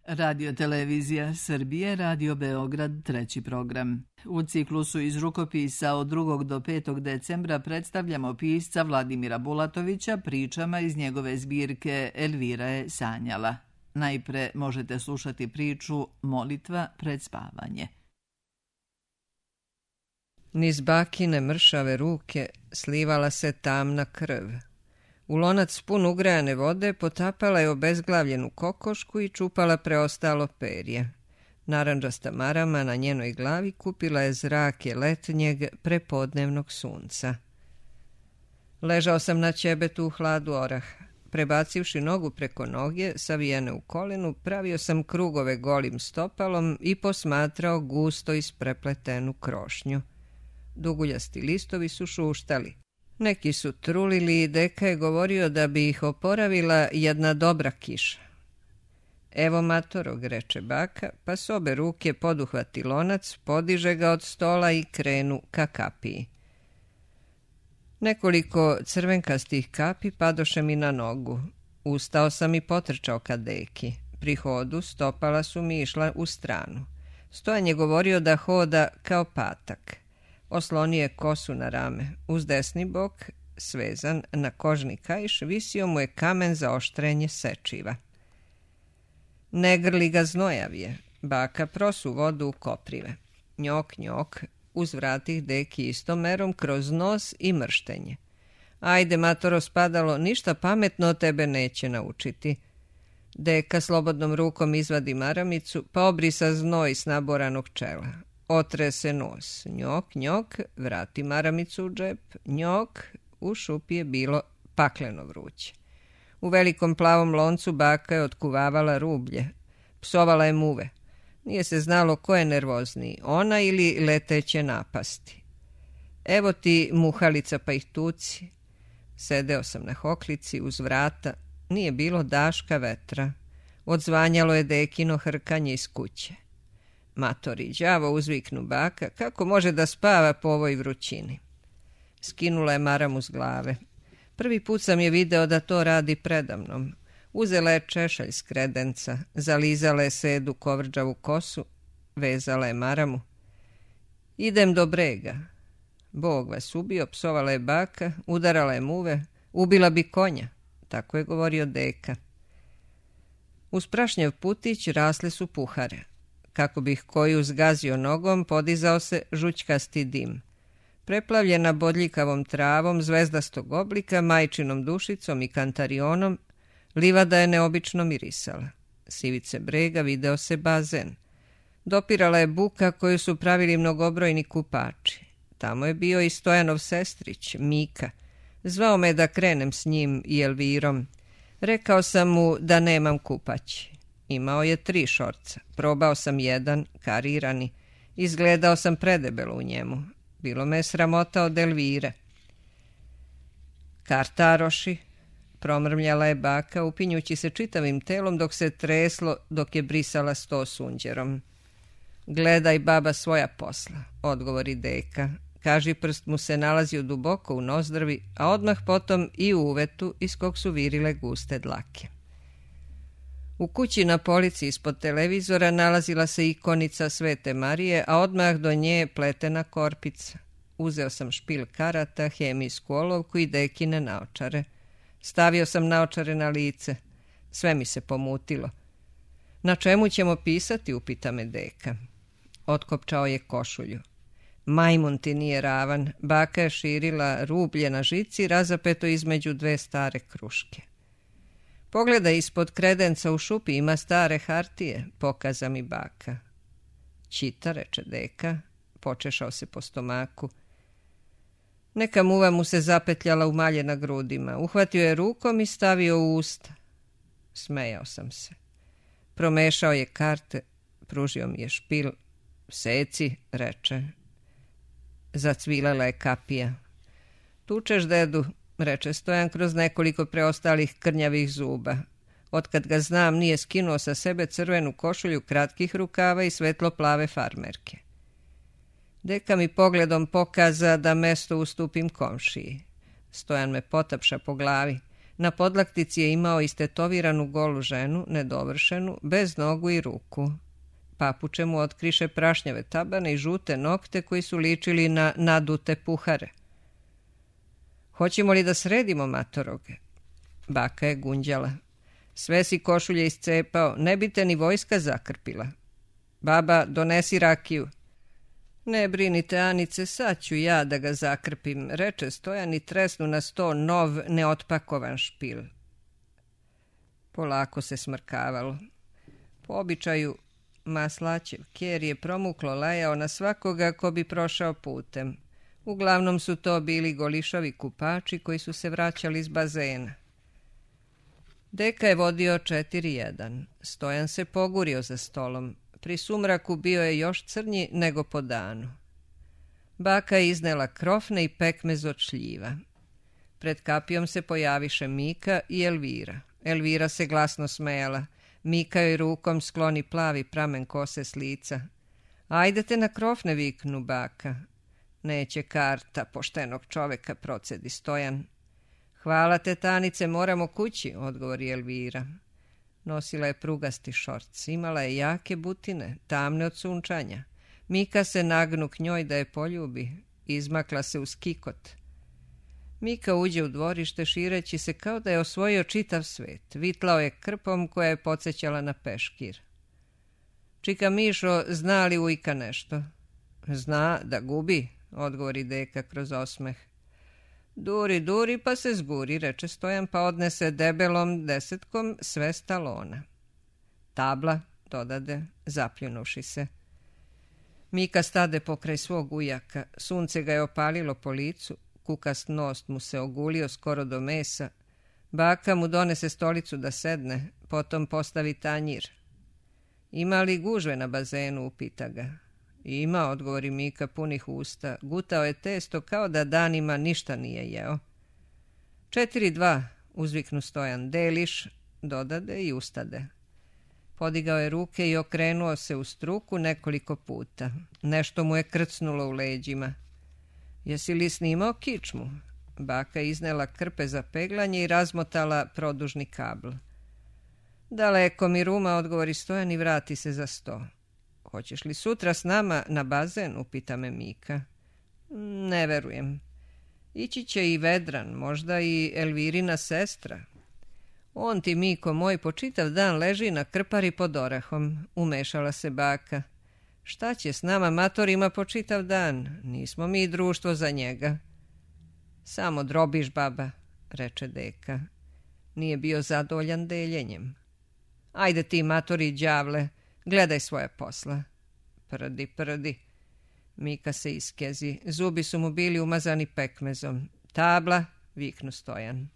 Radio Televizija Srbije, Radio Beograd, 3. program. U ciklusu iz rukopisa od 2. do 5. decembra predstavljamo pisca Vladimira Bulatovića pričama iz njegove zbirke Elvira je sanjala. Najpre možete slušati priču Molitva pred spavanje. Niz bakine mršave ruke slivala se tamna krv. U lonac pun ugrajane vode potapala je obezglavljenu kokošku i čupala preostalo perje. Narandžasta marama na njenoj glavi kupila je zrake letnjeg prepodnevnog sunca. Ležao sam na ćebetu u hladu oraha. Prebacivši nogu preko noge, savijene u kolenu, pravio sam krugove golim stopalom i posmatrao gusto isprepletenu krošnju. Duguljasti listovi su šuštali. Neki su trulili i deka je govorio da bi ih oporavila jedna dobra kiša. Evo matorog, reče baka, pa s obe ruke poduhvati lonac, podiže ga od stola i krenu ka kapiji. Nekoliko crvenkastih kapi padoše mi na nogu. Ustao sam i potrčao ka deki. Pri hodu stopala su mi išla u stranu. Stojan je govorio da hoda kao patak. Oslonio je kosu na rame. Uz desni bok, svezan na kožni kaiš, visio mu je kamen za oštrenje sečiva. Ne grli ga znojavije. Baka prosu vodu u koprive. Njok, njok, uzvrati deki istom merom kroz nos i mrštenje. Ajde, matoro spadalo, ništa pametno od tebe neće naučiti. Deka slobodnom rukom izvadi maramicu, pa obrisa znoj s naboranog čela. Otre se nos. Njok, njok, vrati maramicu u džep. Njok, u šupi je bilo pakleno vruće. U velikom plavom loncu baka je otkuvavala rublje. Psovala je muve. Nije se znalo ko je nervozniji, ona ili leteće napasti. Evo ti muhalica pa ih tuci. Sedeo sam na hoklici uz vrata. Nije bilo daška vetra. Odzvanjalo je dekino hrkanje iz kuće. Matori, đavo, uzviknu baka, kako može da spava po ovoj vrućini? Skinula je maramu s glave. Prvi put sam je video da to radi predamnom. Uzela je češalj s kredenca, zalizala je sedu kovrđavu kosu, vezala je maramu. Idem do brega. Bog vas ubio, psovala je baka, udarala je muve, ubila bi konja, tako je govorio deka. Uz prašnjev putić rasle su puhare. Kako bih koju zgazio nogom, podizao se žućkasti dim. Preplavljena bodljikavom travom zvezdastog oblika, majčinom dušicom i kantarionom, livada je neobično mirisala. S ivice brega video se bazen. Dopirala je buka koju su pravili mnogobrojni kupači. Tamo je bio i Stojanov sestrić, Mika. Zvao me da krenem s njim i Elvirom. Rekao sam mu da nemam kupaći. Imao je 3 šorca. Probao sam jedan, karirani. Izgledao sam predebelo u njemu. Bilo me je sramota od Elvire. Kartaroši, promrmljala je baka, upinjući se čitavim telom dok se treslo, dok je brisala sto sunđerom. Gledaj, baba, svoja posla, odgovori deka. Kaži prst mu se nalazio duboko u nozdrvi, a odmah potom i u uvetu iz kog su virile guste dlake. U kući na polici ispod televizora nalazila se ikonica Svete Marije, a odmah do nje pletena korpica. Uzeo sam špil karata, hemijsku olovku i dekine naočare. Stavio sam naočare na lice. Sve mi se pomutilo. Na čemu ćemo pisati, upita me deka. Otkopčao je košulju. Majmun ti nije ravan. Baka je širila rublje na žici, razapeto između 2 stare kruške. Pogledaj, ispod kredenca u šupi ima stare hartije, pokaza mi baka. Čita, reče deka, počešao se po stomaku. Neka muva mu se zapetljala u malje na grudima. Uhvatio je rukom i stavio u usta. Smejao sam se. Promešao je karte, pružio mi je špil. Seci, reče. Zacvilala je kapija. Tučeš, dedu, reče Stojan kroz nekoliko preostalih krnjavih zuba. Otkad ga znam, nije skinuo sa sebe crvenu košulju kratkih rukava i svetlo-plave farmerke. Deka mi pogledom pokaza da mesto ustupim komšiji. Stojan me potapša po glavi. Na podlaktici je imao istetoviranu golu ženu, nedovršenu, bez nogu i ruku. Papuče mu otkriše prašnjave tabane i žute nokte koji su ličili na nadute puhare. Hoćemo li da sredimo, matoroge? Baka je gunđala. Sve si košulje iscepao, ne bi te ni vojska zakrpila. Baba, donesi rakiju. Ne brinite, Anice, sad ću ja da ga zakrpim, reče Stojan i tresnu na sto nov, neotpakovan špil. Polako se smrkavalo. Po običaju, Maslaćev kjer je promuklo lajao na svakoga ko bi prošao putem. Uglavnom su to bili golišavi kupači koji su se vraćali iz bazena. Deka je vodio 4:1. Stojan se pogurio za stolom. Pri sumraku bio je još crnji nego po danu. Baka je iznela krofne i pekmez od šljiva. Pred kapijom se pojaviše Mika i Elvira. Elvira se glasno smejala. Mika joj rukom skloni plavi pramen kose s lica. Ajdete na krofne, viknu baka. Neće karta poštenog čoveka, procedi Stojan. Hvala te, Tanice, moramo kući, odgovori Elvira. Nosila je prugasti šorc, imala je jake butine, tamne od sunčanja. Mika se nagnu k njoj da je poljubi, izmakla se uz kikot. Mika uđe u dvorište šireći se kao da je osvojio čitav svet. Vitlao je krpom koja je podsjećala na peškir. Čika Mišo, zna li ujka nešto? Zna da gubi, odgovori deka kroz osmeh. Duri, duri pa se zburi, reče Stojan, pa odnese debelom desetkom sve stalona. Tabla, dodade, zapljunuši se. Mika stade pokraj svog ujaka, sunce ga je opalilo po licu, kukast nos mu se ogulio skoro do mesa. Baka mu donese stolicu da sedne, potom postavi tanjir. Ima li gužve na bazenu, upita ga. Ima, odgovori Mika punih usta. Gutao je testo kao da danima ništa nije jeo. 4:2, uzviknu Stojan. Deliš, dodade i ustade. Podigao je ruke i okrenuo se u struku nekoliko puta. Nešto mu je krcnulo u leđima. Jesi li snimao kičmu? Baka iznela krpe za peglanje i razmotala produžni kabl. Daleko mi ruma, odgovori Stojan i vrati se za sto. Hoćeš li sutra s nama na bazen, upita me Mika. Ne verujem. Ići će i Vedran, možda i Elvirina sestra. On ti, Miko moj, po čitav dan leži na krpari pod orahom, umešala se baka. Šta će s nama matorima po čitav dan? Nismo mi društvo za njega. Samo drobiš, baba, reče deka. Nije bio zadovoljan deljenjem. Ajde ti, matori đavle, gledaj svoje posla. Prdi, prdi. Mika se iskezi. Zubi su mu bili umazani pekmezom. Tabla, viknu Stojan.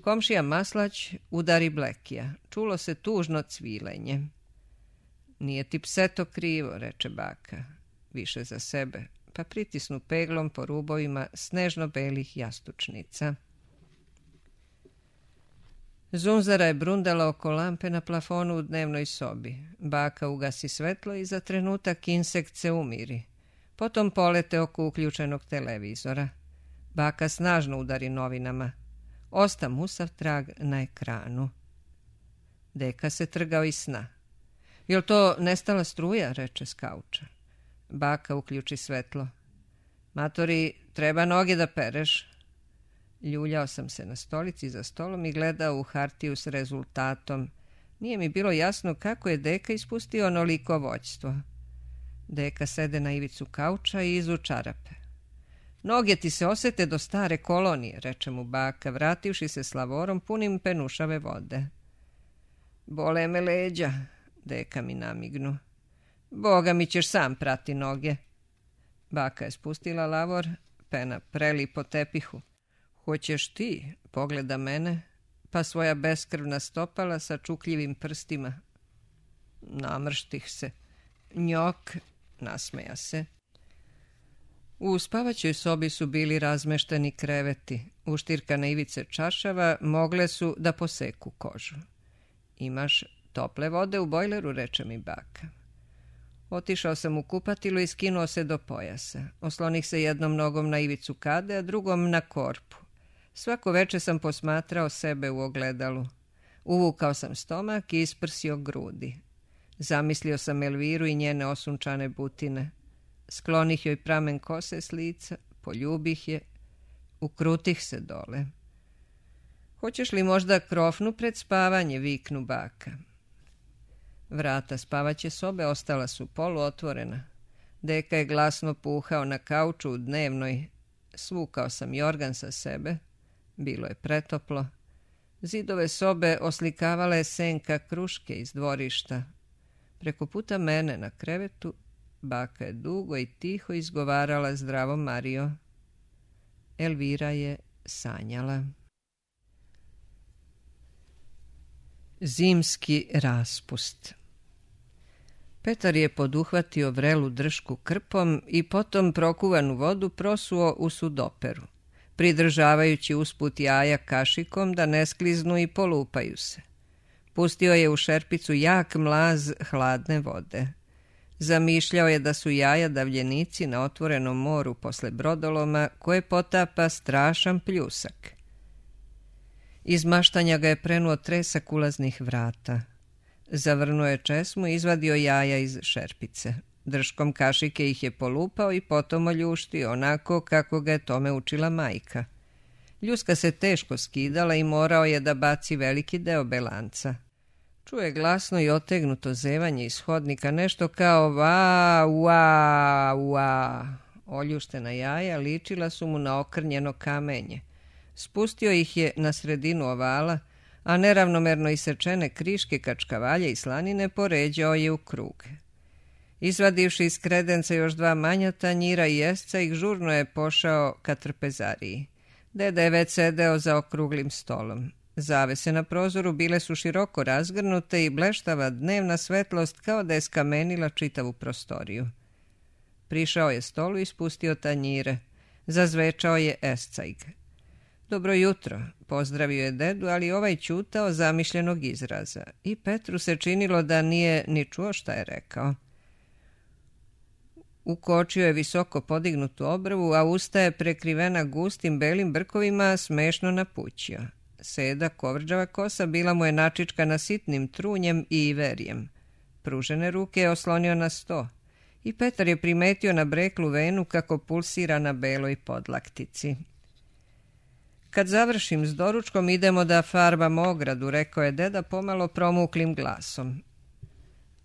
Komšija Maslać udari Blekija. Čulo se tužno cvilenje. Nije ti pseto krivo, reče baka. Više za sebe, pa pritisnu peglom po rubovima snežno-belih jastučnica. Zunzara je brundala oko lampe na plafonu u dnevnoj sobi. Baka ugasi svetlo i za trenutak insekt se umiri. Potom polete oko uključenog televizora. Baka snažno udari novinama. Osta musav trag na ekranu. Deka se trgao iz sna. Jel to nestala struja, reče s kauča. Baka uključi svetlo. Matori, treba noge da pereš. Ljuljao sam se na stolici za stolom i gledao u hartiju s rezultatom. Nije mi bilo jasno kako je deka ispustio onoliko voćstvo. Deka sede na ivicu kauča i izu čarape. Noge ti se osete do stare kolonije, reče mu baka, vrativši se s lavorom punim penušave vode. Bole me leđa, deka mi namignu. Boga mi ćeš sam prati noge. Baka je spustila lavor, pena preli po tepihu. Hoćeš ti, pogleda mene, pa svoja beskrvna stopala sa čukljivim prstima. Namrštih se. Njok, nasmeja se. U spavaćoj sobi su bili razmešteni kreveti. Uštirkane ivice čašava mogle su da poseku kožu. Imaš tople vode u bojleru, reče mi baka. Otišao sam u kupatilu i skinuo se do pojasa. Oslonih se jednom nogom na ivicu kade, a drugom na korpu. Svako veče sam posmatrao sebe u ogledalu. Uvukao sam stomak i isprsio grudi. Zamislio sam Elviru i njene osunčane butine. Sklonih joj pramen kose s lica, poljubih je, ukrutih se dole. Hoćeš li možda krofnu pred spavanje, viknu baka. Vrata spavaće sobe ostala su poluotvorena. Deka je glasno puhao na kauču u dnevnoj. Svukao sam jorgan sa sebe. Bilo je pretoplo. Zidove sobe oslikavala je senka kruške iz dvorišta. Preko puta mene na krevetu baka je dugo i tiho izgovarala zdravo Mario. Elvira je sanjala. Zimski raspust. Petar je poduhvatio vrelu dršku krpom i potom prokuvanu vodu prosuo u sudoperu, pridržavajući usput jaja kašikom da ne skliznu i polupaju se. Pustio je u šerpicu jak mlaz hladne vode. Zamišljao je da su jaja davljenici na otvorenom moru posle brodoloma koje potapa strašan pljusak. Iz maštanja ga je prenuo tresak ulaznih vrata. Zavrnuo je česmu i izvadio jaja iz šerpice. Drškom kašike ih je polupao i potom oljuštio, onako kako ga je tome učila majka. Ljuska se teško skidala i morao je da baci veliki deo belanca. Čuje glasno i otegnuto zevanje iz hodnika, nešto kao va, ua, ua. Oljuštena jaja ličila su mu na okrnjeno kamenje. Spustio ih je na sredinu ovala, a neravnomerno isečene kriške kačkavalje i slanine poređao je u krug. Izvadivši iz kredenca još 2 manja tanjira i jesca, ih žurno je pošao ka trpezariji. Deda je već sedeo za okruglim stolom. Zavese na prozoru bile su široko razgrnute i bleštava dnevna svetlost kao da je skamenila čitavu prostoriju. Prišao je stolu i spustio tanjire. Zazvečao je escajg. Dobro jutro, pozdravio je dedu, ali ovaj ćutao zamišljenog izraza i Petru se činilo da nije ni čuo šta je rekao. Ukočio je visoko podignutu obrvu, a usta je prekrivena gustim belim brkovima smešno napućio. Seda, kovrđava kosa bila mu je načičkana sitnim trunjem i iverjem. Pružene ruke je oslonio na sto i Petar je primetio na breklu venu kako pulsira na beloj podlaktici. Kad završim s doručkom idemo da farbamo ogradu, rekao je deda pomalo promuklim glasom.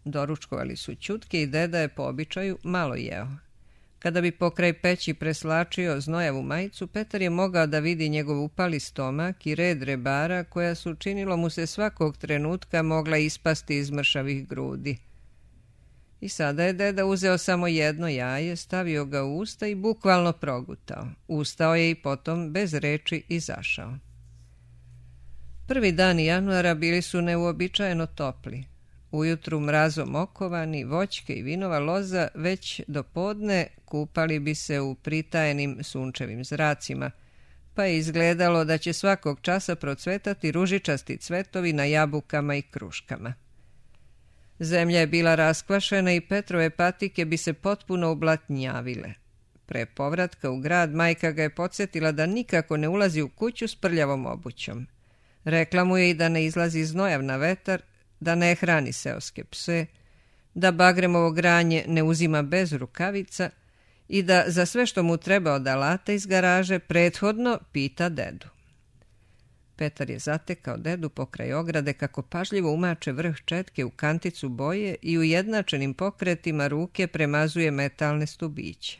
Doručkovali su ćutke i deda je po običaju malo jeo. Kada bi pokraj peći preslačio znojavu majicu, Petar je mogao da vidi njegov upali stomak i red rebara koja su, činilo mu se, svakog trenutka mogla ispasti iz mršavih grudi. I sada je deda uzeo samo jedno jaje, stavio ga u usta i bukvalno progutao. Ustao je i potom bez reči izašao. Prvi dani januara bili su neuobičajeno topli. Ujutru mrazom okovani, voćke i vinova loza već do podne kupali bi se u pritajenim sunčevim zracima, pa je izgledalo da će svakog časa procvetati ružičasti cvetovi na jabukama i kruškama. Zemlja je bila raskvašena i Petrove patike bi se potpuno ublatnjavile. Pre povratka u grad majka ga je podsjetila da nikako ne ulazi u kuću s prljavom obućom. Rekla mu je i da ne izlazi znojav na vetar, da ne hrani seoske pse, da bagremovo granje ne uzima bez rukavica i da za sve što mu treba od alata iz garaže prethodno pita dedu. Petar je zatekao dedu pokraj ograde kako pažljivo umače vrh četke u kanticu boje i ujednačenim pokretima ruke premazuje metalne stubiće.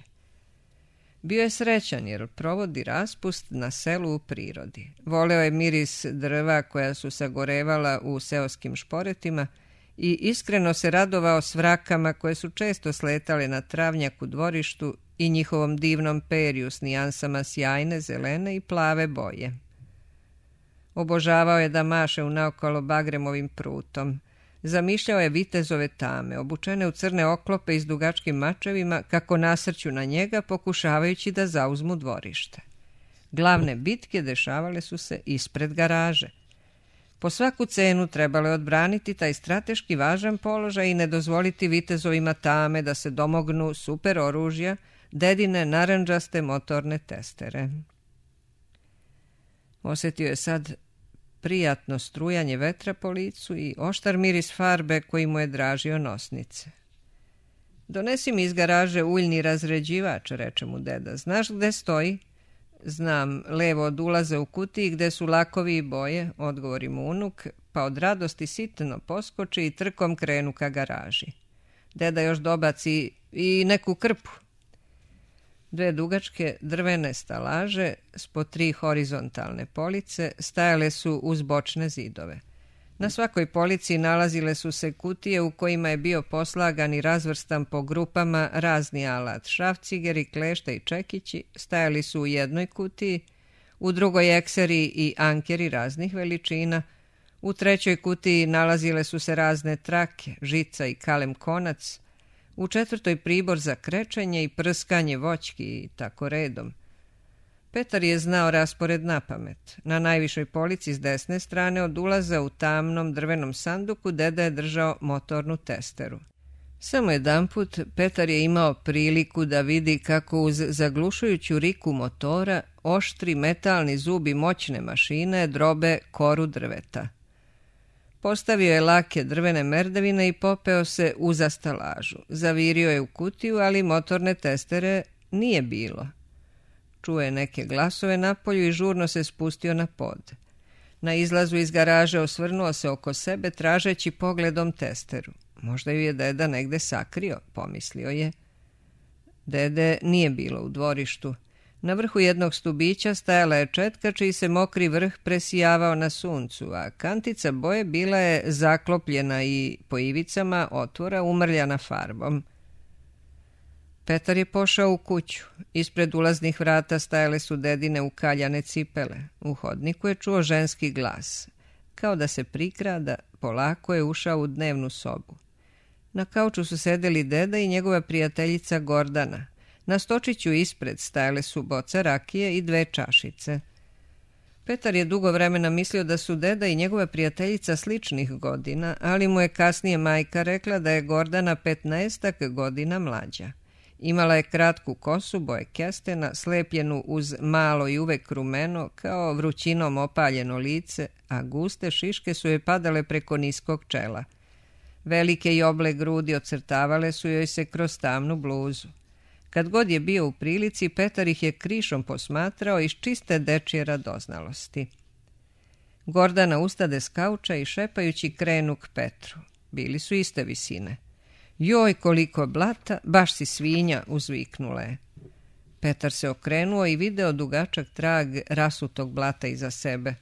Bio je srećan jer provodi raspust na selu u prirodi. Voleo je miris drva koja su sagorevala u seoskim šporetima i iskreno se radovao svrakama koje su često sletale na travnjak u dvorištu i njihovom divnom perju s nijansama sjajne, zelene i plave boje. Obožavao je da maše unaokolo bagremovim prutom. Zamišljao je vitezove tame, obučene u crne oklope i s dugačkim mačevima, kako nasrću na njega, pokušavajući da zauzmu dvorište. Glavne bitke dešavale su se ispred garaže. Po svaku cenu trebalo je odbraniti taj strateški važan položaj i ne dozvoliti vitezovima tame da se domognu super oružja, dedine narandžaste motorne testere. Osjetio je sad prijatno strujanje vetra po licu i oštar miris farbe koji mu je dražio nosnice. Donesi mi iz garaže uljni razređivač, reče mu deda. Znaš gde stoji? Znam, levo od ulaza u kutiji gde su lakovi i boje, odgovori mu unuk, pa od radosti sitno poskoči i trkom krenu ka garaži. Deda još dobaci i neku krpu. 2 dugačke drvene stalaže s po 3 horizontalne police stajale su uz bočne zidove. Na svakoj polici nalazile su se kutije u kojima je bio poslagan i razvrstan po grupama razni alat. Šrafcigeri, klešta i čekići stajali su u jednoj kutiji, u drugoj ekseri i ankeri raznih veličina, u trećoj kutiji nalazile su se razne trake, žica i kalem konac, u četvrtoj pribor za krečenje i prskanje voćki i tako redom. Petar je znao raspored napamet. Na najvišoj polici s desne strane od ulaza u tamnom drvenom sanduku deda je držao motornu testeru. Samo jedanput Petar je imao priliku da vidi kako uz zaglušujuću riku motora oštri metalni zubi moćne mašine drobe koru drveta. Postavio je lake drvene merdevine i popeo se uza stalažu. Zavirio je u kutiju, ali motorne testere nije bilo. Čuo je neke glasove napolju i žurno se spustio na pod. Na izlazu iz garaže osvrnuo se oko sebe tražeći pogledom testeru. Možda ju je deda negde sakrio, pomislio je. Dede nije bilo u dvorištu. Na vrhu jednog stubića stajala je četka čiji se mokri vrh presijavao na suncu, a kantica boje bila je zaklopljena i po ivicama otvora umrljana farbom. Petar je pošao u kuću. Ispred ulaznih vrata stajale su dedine ukaljane cipele. U hodniku je čuo ženski glas. Kao da se prikrada, polako je ušao u dnevnu sobu. Na kauču su sedeli deda i njegova prijateljica Gordana. Na stočiću ispred stajale su boca rakije i 2 čašice. Petar je dugo vremena mislio da su deda i njegova prijateljica sličnih godina, ali mu je kasnije majka rekla da je Gordana 15 godina mlađa. Imala je kratku kosu boje kestena, slepljenu uz malo i uvek rumeno, kao vrućinom opaljeno lice, a guste šiške su joj padale preko niskog čela. Velike i oble grudi ocrtavale su joj se kroz tamnu bluzu. Kad god je bio u prilici, Petar ih je krišom posmatrao iz čiste dečje radoznalosti. Gordana ustade s kauča i šepajući krenu k Petru. Bili su iste visine. Joj, koliko blata, baš si svinja, uzviknula je. Petar se okrenuo i video dugačak trag rasutog blata iza sebe.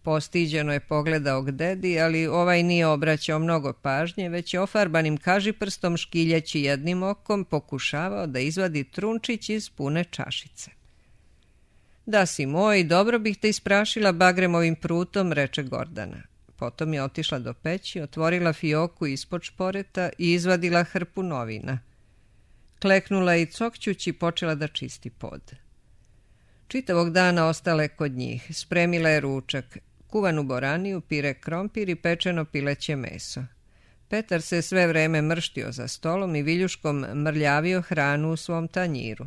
Postiđeno je pogledao k dedi, ali ovaj nije obraćao mnogo pažnje, već je ofarbanim kažiprstom škiljeći jednim okom pokušavao da izvadi trunčić iz pune čašice. Da si moj, dobro bih te isprašila bagremovim prutom, reče Gordana. Potom je otišla do peći, otvorila fioku ispod šporeta i izvadila hrpu novina. Kleknula i cokćući počela da čisti pod. Čitavog dana ostala je kod njih. Spremila je ručak, kuvanu boraniju, pire krompir i pečeno pileće meso. Petar se sve vreme mrštio za stolom i viljuškom mrljavio hranu u svom tanjiru.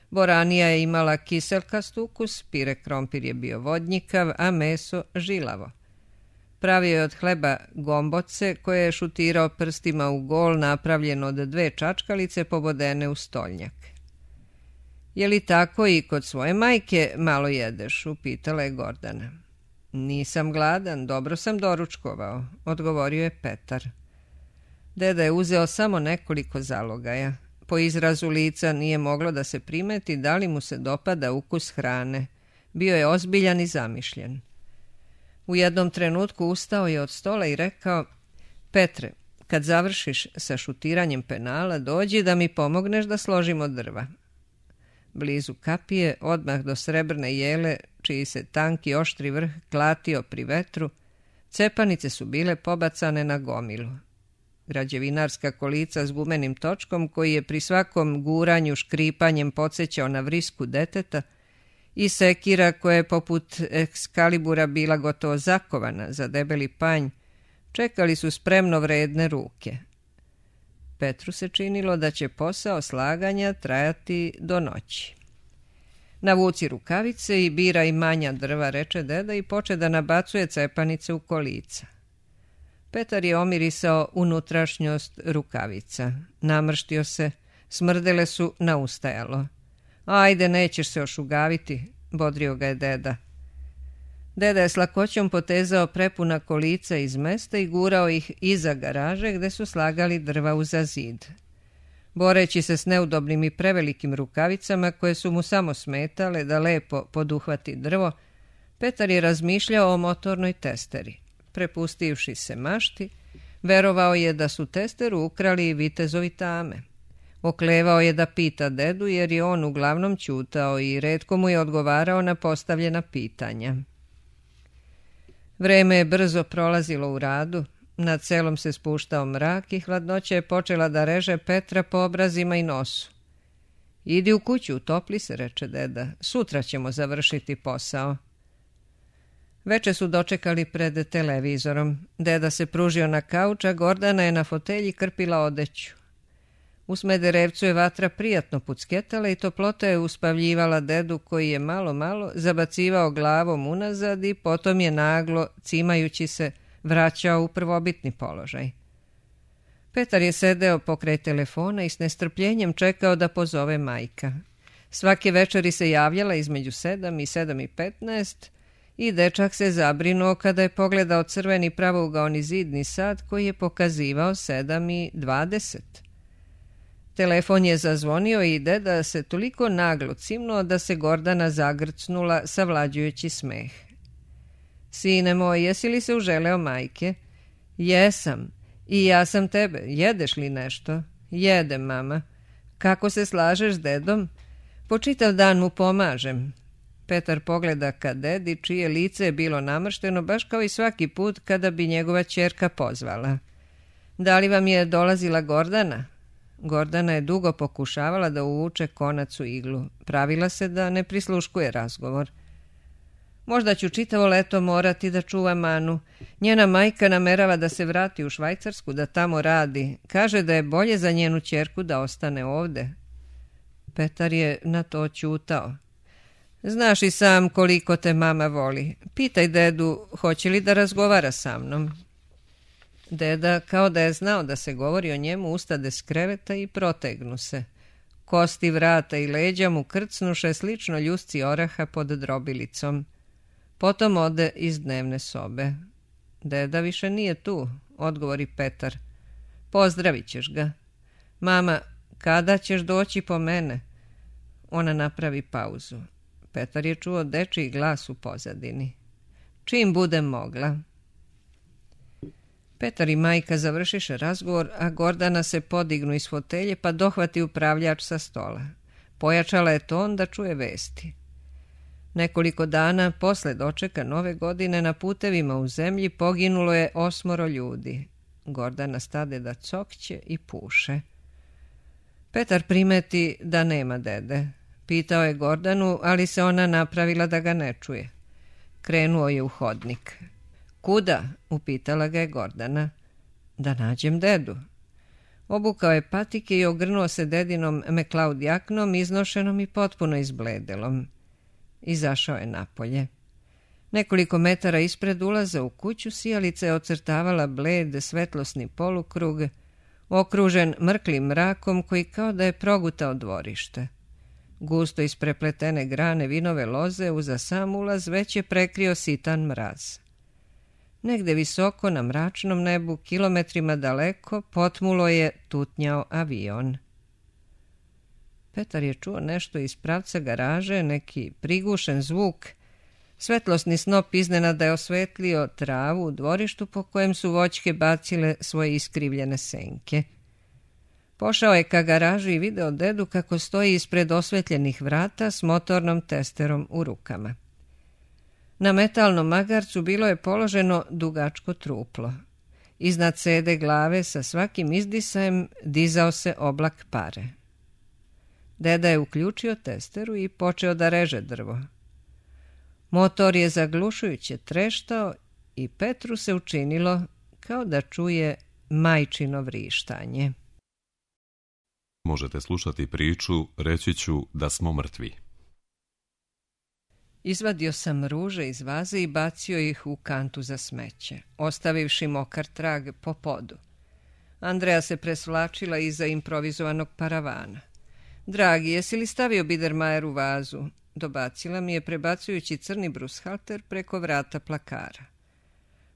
Boranija je imala kiselkast ukus, pire krompir je bio vodnjikav, a meso žilavo. Pravio je od hleba gomboce koje je šutirao prstima u gol napravljen od 2 čačkalice pobodene u stolnjak. Je li tako i kod svoje majke malo jedeš, upitala je Gordana. Nisam gladan, dobro sam doručkovao, odgovorio je Petar. Deda je uzeo samo nekoliko zalogaja. Po izrazu lica nije moglo da se primeti da li mu se dopada ukus hrane. Bio je ozbiljan i zamišljen. U jednom trenutku ustao je od stola i rekao: Petre, kad završiš sa šutiranjem penala, dođi da mi pomogneš da složimo drva. Blizu kapije, odmah do srebrne jele, čiji se tanki oštri vrh klatio pri vetru, cepanice su bile pobacane na gomilu. Građevinarska kolica s gumenim točkom, koji je pri svakom guranju škripanjem podsjećao na vrisku deteta, i sekira koja je poput Ekskalibura bila gotovo zakovana za debeli panj, čekali su spremno vredne ruke. Petru se činilo da će posao slaganja trajati do noći. Navuci rukavice i biraj manja drva, reče deda i poče da nabacuje cepanice u kolica. Petar je omirisao unutrašnjost rukavica. Namrštio se, smrdele su na ustajalo. Ajde, nećeš se ošugaviti, bodrio ga je deda. Deda je s lakoćom potezao prepuna kolica iz mesta i gurao ih iza garaže gde su slagali drva uza zid. Boreći se s neudobnim i prevelikim rukavicama koje su mu samo smetale da lepo poduhvati drvo, Petar je razmišljao o motornoj testeri. Prepustivši se mašti, verovao je da su testeru ukrali i vitezovi tame. Oklevao je da pita dedu jer je on uglavnom ćutao i retko mu je odgovarao na postavljena pitanja. Vreme je brzo prolazilo u radu, nad selom se spuštao mrak i hladnoća je počela da reže Petra po obrazima i nosu. Idi u kuću, utopli se, reče deda, sutra ćemo završiti posao. Veče su dočekali pred televizorom. Deda se pružio na kauč, a Gordana je na fotelji krpila odeću. U Smederevcu je vatra prijatno pucketala i toplota je uspavljivala dedu koji je malo zabacivao glavom unazad i potom je naglo, cimajući se, vraćao u prvobitni položaj. Petar je sedeo pokraj telefona i s nestrpljenjem čekao da pozove majka. Svake večeri se javljala između 7 i 7:15 i dečak se zabrinuo kada je pogledao crveni pravougaoni zidni sat koji je pokazivao 7:20. Telefon je zazvonio i deda se toliko naglo cimnuo da se Gordana zagrcnula savlađujući smeh. Sine moj, jesi li se uželeo majke? Jesam. I ja sam tebe. Jedeš li nešto? Jedem, mama. Kako se slažeš s dedom? Po čitav dan mu pomažem. Petar pogleda ka dedi, čije lice je bilo namršteno, baš kao i svaki put kada bi njegova ćerka pozvala. Da li vam je dolazila Gordana? Gordana je dugo pokušavala da uvuče konac u iglu. Pravila se da ne prisluškuje razgovor. Možda ću čitavo leto morati da čuvam Anu. Njena majka namerava da se vrati u Švajcarsku, da tamo radi. Kaže da je bolje za njenu ćerku da ostane ovde. Petar je na to ćutao. Znaš i sam koliko te mama voli. Pitaj dedu, hoće li da razgovara sa mnom. Deda, kao da je znao da se govori o njemu, ustade s kreveta i protegnu se. Kosti vrata i leđa mu krcnuše slično ljusci oraha pod drobilicom. Potom ode iz dnevne sobe. Deda više nije tu, odgovori Petar. Pozdravit ćeš ga. Mama, kada ćeš doći po mene? Ona napravi pauzu. Petar je čuo dečiji glas u pozadini. Čim budem mogla. Petar i majka završiše razgovor, a Gordana se podignu iz fotelje pa dohvati upravljač sa stola. Pojačala je ton da čuje vesti. Nekoliko dana posle dočeka nove godine na putevima u zemlji poginulo je 8 ljudi. Gordana stade da cokće i puše. Petar primeti da nema dede. Pitao je Gordanu, ali se ona napravila da ga ne čuje. Krenuo je u hodnik. Kuda? Upitala ga je Gordana. Da nađem dedu. Obukao je patike i ogrnuo se dedinom McLeod jaknom, iznošenom i potpuno izbledelom. Izašao je napolje. Nekoliko metara ispred ulaza u kuću sijalica je ocrtavala bled svetlosni polukrug, okružen mrklim mrakom koji kao da je progutao dvorište. Gusto isprepletene grane vinove loze uza sam ulaz već je prekrio sitan mraz. Negde visoko na mračnom nebu, kilometrima daleko, potmulo je tutnjao avion. Petar je čuo nešto iz pravca garaže, neki prigušen zvuk. Svetlosni snop iznenada je osvetlio travu u dvorištu po kojem su voćke bacile svoje iskrivljene senke. Pošao je ka garaži i video dedu kako stoji ispred osvetljenih vrata s motornom testerom u rukama. Na metalnom magarcu bilo je položeno dugačko truplo. Iznad sede glave sa svakim izdisajem dizao se oblak pare. Deda je uključio testeru i počeo da reže drvo. Motor je zaglušujuće treštao i Petru se učinilo kao da čuje majčino vrištanje. Možete slušati priču Reći ću da smo mrtvi. Izvadio sam ruže iz vaze i bacio ih u kantu za smeće, ostavivši mokar trag po podu. Andrea se presvlačila iza improvizovanog paravana. Dragi, jesi li stavio Biedermeier u vazu? Dobacila mi je prebacujući crni brushalter preko vrata plakara.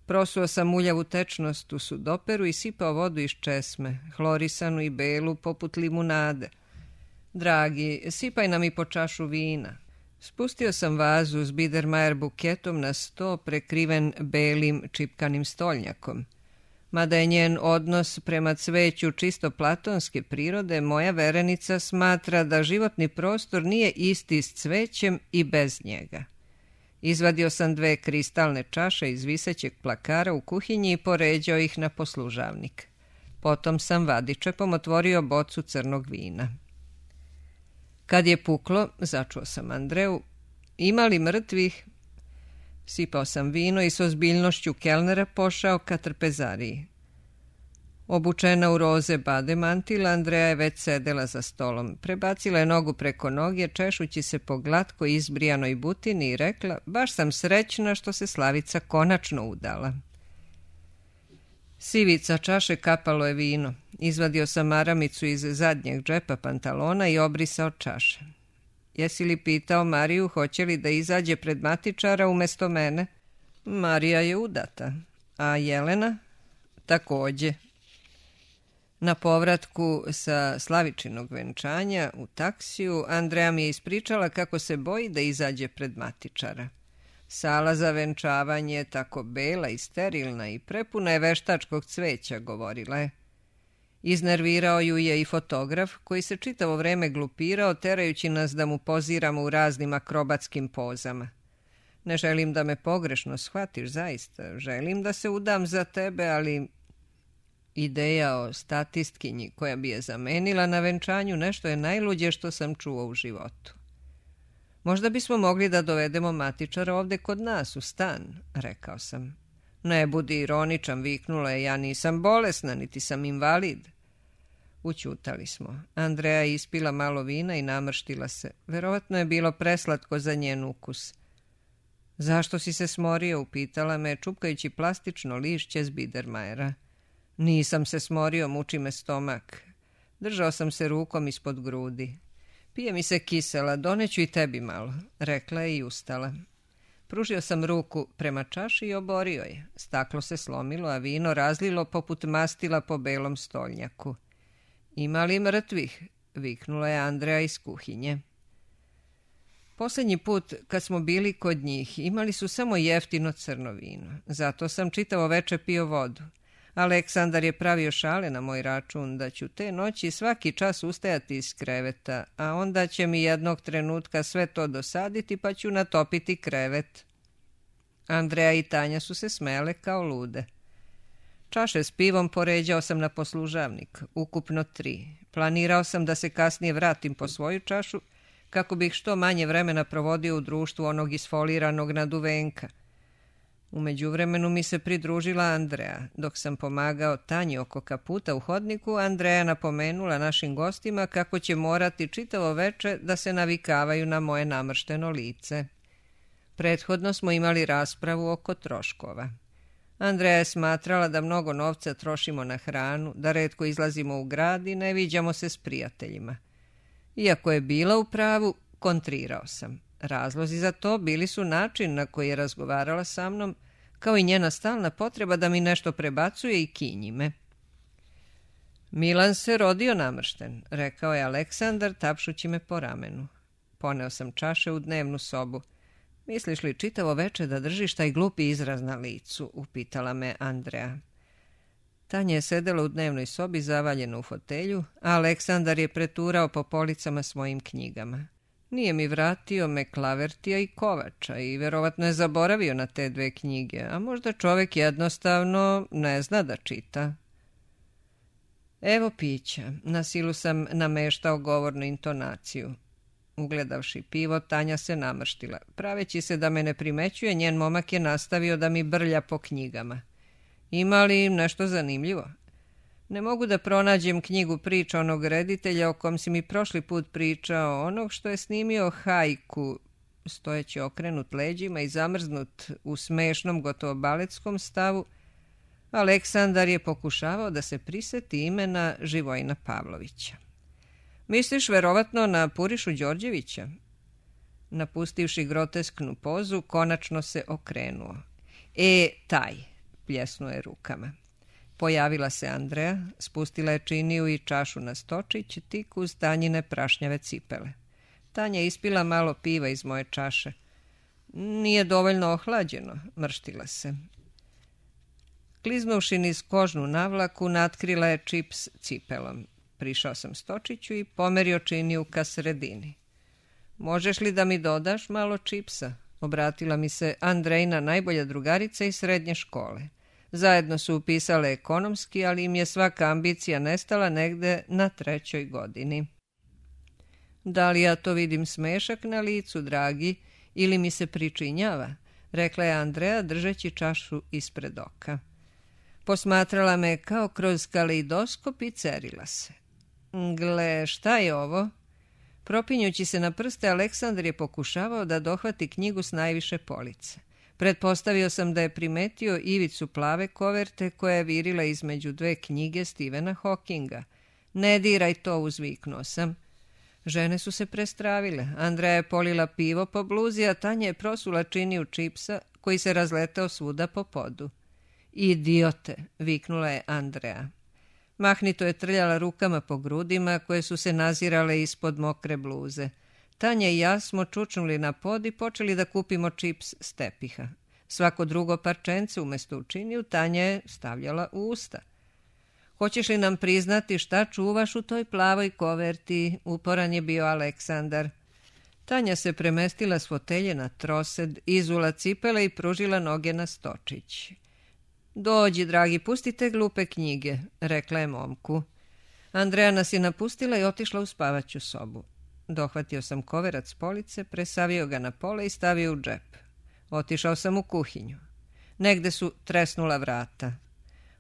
Prosuo sam muljavu tečnost u sudoperu i sipao vodu iz česme, hlorisanu i belu poput limunade. Dragi, sipaj nam i po čašu vina. Spustio sam vazu s Biedermeier buketom na sto prekriven belim čipkanim stolnjakom. Mada je njen odnos prema cveću čisto platonske prirode, moja verenica smatra da životni prostor nije isti s cvećem i bez njega. Izvadio sam 2 kristalne čaše iz visećeg plakara u kuhinji i poređao ih na poslužavnik. Potom sam vadičepom otvorio bocu crnog vina. Kad je puklo, začuo sam Andreu, ima li mrtvih? Sipao sam vino i s ozbiljnošću kelnera pošao ka trpezariji. Obučena u roze bade mantila, Andrea je već sedela za stolom. Prebacila je nogu preko noge, češući se po glatko izbrijanoj butini i rekla, baš sam srećna što se Slavica konačno udala. Sivica čaše kapalo je vino. Izvadio sam maramicu iz zadnjeg džepa pantalona i obrisao čaše. Jesi li pitao Mariju hoće li da izađe pred matičara umjesto mene? Marija je udata. A Jelena? Takođe. Na povratku sa Slavičinog venčanja u taksiju Andrea mi je ispričala kako se boji da izađe pred matičara. Sala za venčavanje je tako bela i sterilna i prepuna je veštačkog cveća, govorila je. Iznervirao ju je i fotograf koji se čitavo vreme glupirao, terajući nas da mu poziramo u raznim akrobatskim pozama. Ne želim da me pogrešno shvatiš, zaista. Želim da se udam za tebe, ali ideja o statistkinji koja bi je zamenila na venčanju nešto je najluđe što sam čuo u životu. Možda bismo mogli da dovedemo matičara ovde kod nas u stan, rekao sam. Ne budi ironičan, viknula je, ja nisam bolesna, niti sam invalid. Ućutali smo. Andrea je ispila malo vina i namrštila se. Verovatno je bilo preslatko za njen ukus. Zašto si se smorio, upitala me, čupkajući plastično lišće s Biedermeiera. Nisam se smorio, muči me stomak. Držao sam se rukom ispod grudi. Pije mi se kisela, doneću i tebi malo, rekla je i ustala. Pružio sam ruku prema čaši i oborio je. Staklo se slomilo, a vino razlilo poput mastila po belom stolnjaku. Ima li mrtvih? Viknula je Andrea iz kuhinje. Posljednji put kad smo bili kod njih imali su samo jeftino crno vino. Zato sam čitavo veče pio vodu. Aleksandar je pravio šale na moj račun da ću te noći svaki čas ustajati iz kreveta, a onda će mi jednog trenutka sve to dosaditi pa ću natopiti krevet. Andrea i Tanja su se smele kao lude. Čaše s pivom poređao sam na poslužavnik, ukupno 3. Planirao sam da se kasnije vratim po svoju čašu kako bih što manje vremena provodio u društvu onog isfoliranog naduvenka. U međuvremenu mi se pridružila Andrea. Dok sam pomagao Tanji oko kaputa u hodniku, Andrea napomenula našim gostima kako će morati čitavo veče da se navikavaju na moje namršteno lice. Prethodno smo imali raspravu oko troškova. Andrea je smatrala da mnogo novca trošimo na hranu, da retko izlazimo u grad i ne viđamo se s prijateljima. Iako je bila u pravu, kontrirao sam. Razlozi za to bili su način na koji je razgovarala sa mnom, kao i njena stalna potreba da mi nešto prebacuje i kinji me. Milan se rodio namršten, rekao je Aleksandar tapšući me po ramenu. Poneo sam čaše u dnevnu sobu. Misliš li čitavo veče da držiš taj glupi izraz na licu, upitala me Andrea. Tanja je sedela u dnevnoj sobi zavaljena u fotelju, a Aleksandar je preturao po policama s mojim knjigama. Nije mi vratio Meklavertija i Kovača i verovatno je zaboravio na te 2 knjige, a možda čovek jednostavno ne zna da čita. Evo pića, na silu sam nameštao govornu intonaciju. Ugledavši pivo, Tanja se namrštila. Praveći se da me ne primećuje, njen momak je nastavio da mi brlja po knjigama. Ima li nešto zanimljivo? Ne mogu da pronađem knjigu priča onog reditelja o kom si mi prošli put pričao, onog što je snimio hajku. stojeći okrenut leđima i zamrznut u smešnom, gotovo baletskom stavu, Aleksandar je pokušavao da se priseti imena Živojina Pavlovića. Misliš verovatno na Purišu Đorđevića? Napustivši grotesknu pozu, konačno se okrenuo. Taj, pljesnuo je rukama. Pojavila se Andrea, spustila je činiju i čašu na stočić, tik uz Tanjine prašnjave cipele. Tanja je ispila malo piva iz moje čaše. Nije dovoljno ohlađeno, mrštila se. Kliznuvši niz kožnu navlaku, natkrila je čips cipelom. Prišao sam stočiću i pomerio činiju ka sredini. Možeš li da mi dodaš malo čipsa? Obratila mi se Andrejina najbolja drugarica iz srednje škole. Zajedno su upisale ekonomski, ali im je svaka ambicija nestala negde na 3. godini. Da li ja to vidim smešak na licu, dragi, ili mi se pričinjava? Rekla je Andrea, držeći čašu ispred oka. Posmatrala me kao kroz kaleidoskop i cerila se. Gle, šta je ovo? Propinjući se na prste, Aleksandar je pokušavao da dohvati knjigu s najviše police. Pretpostavio sam da je primetio ivicu plave koverte koja je virila između 2 knjige Stephena Hawkinga. Ne diraj to, uzviknuo sam. Žene su se prestravile. Andrea je polila pivo po bluzi, a Tanja je prosula činiju čipsa koji se razletao svuda po podu. Idiote, viknula je Andrea. Mahnito je trljala rukama po grudima koje su se nazirale ispod mokre bluze. Tanja i ja smo čučnuli na pod i počeli da kupimo čips s tepiha. Svako drugo parčence umjesto u činiju Tanja je stavljala u usta. Hoćeš li nam priznati šta čuvaš u toj plavoj koverti? Uporan je bio Aleksandar. Tanja se premestila s fotelje na trosed, izula cipele i pružila noge na stočić. Dođi, dragi, pustite glupe knjige, rekla je momku. Andrea nas je napustila i otišla u spavaću sobu. Dohvatio sam koverac s police, presavio ga na pola i stavio u džep. Otišao sam u kuhinju. Negde su tresnula vrata.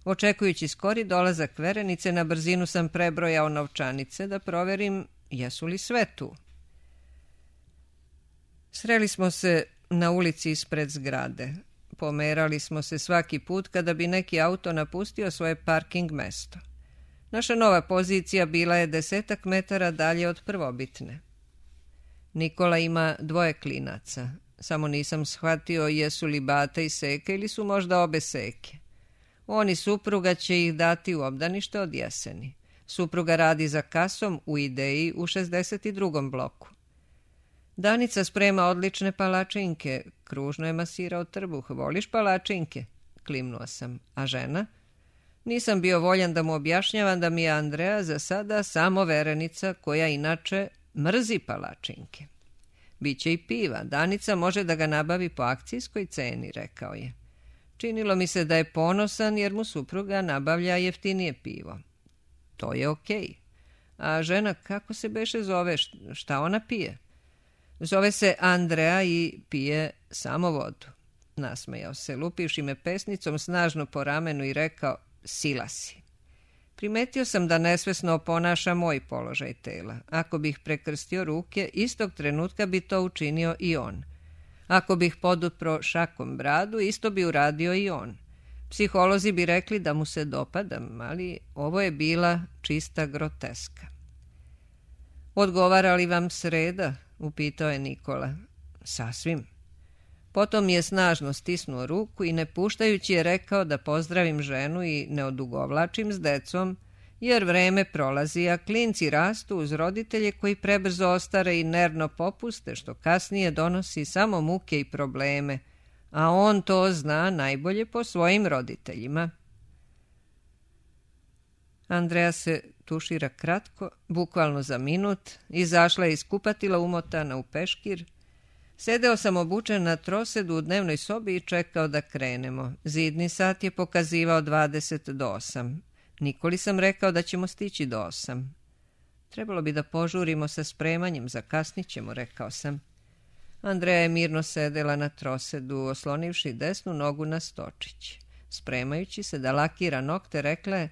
Očekujući skori dolazak verenice, na brzinu sam prebrojao novčanice da proverim jesu li sve tu. Sreli smo se na ulici ispred zgrade. Pomerali smo se svaki put kada bi neki auto napustio svoje parking mesto. Naša nova pozicija bila je 10 metara dalje od prvobitne. Nikola ima 2 klinaca. Samo nisam shvatio jesu li Bata i Seka ili su možda obe Seke. On i supruga će ih dati u obdanište od jeseni. Supruga radi za kasom u Ideji u 62. bloku. Danica sprema odlične palačinke. Kružno je masirao trbuh. Voliš palačinke? Klimnuo sam. A žena? Nisam bio voljan da mu objašnjavam da mi je Andrea za sada samo verenica koja inače mrzi palačinke. Biće i piva. Danica može da ga nabavi po akcijskoj ceni, rekao je. Činilo mi se da je ponosan jer mu supruga nabavlja jeftinije pivo. To je okej. A žena kako se beše zove? Šta ona pije? Zove se Andrea i pije samo vodu. Nasmejao se, lupivši me pesnicom snažno po ramenu i rekao, sila si. Primetio sam da nesvesno oponaša moj položaj tela. Ako bih prekrstio ruke, istog trenutka bi to učinio i on. Ako bih podupro šakom bradu, isto bi uradio i on. Psiholozi bi rekli da mu se dopadam, ali ovo je bila čista groteska. Odgovara li vam sreda? Upitao je Nikola. Sasvim. Potom je snažno stisnuo ruku i ne puštajući je rekao da pozdravim ženu i ne odugovlačim s decom, jer vreme prolazi, a klinci rastu uz roditelje koji prebrzo ostare i nervno popuste, što kasnije donosi samo muke i probleme, a on to zna najbolje po svojim roditeljima. Andrea se tušira kratko, bukvalno za minut, izašla je iz kupatila umotana u peškir. Sedeo sam obučen na trosedu u dnevnoj sobi i čekao da krenemo. Zidni sat je pokazivao 20 do 8. Nikoli sam rekao da ćemo stići do 8. Trebalo bi da požurimo sa spremanjem, zakasnit ćemo, rekao sam. Andrea je mirno sedela na trosedu, oslonivši desnu nogu na stočić. Spremajući se da lakira nokte, rekla je,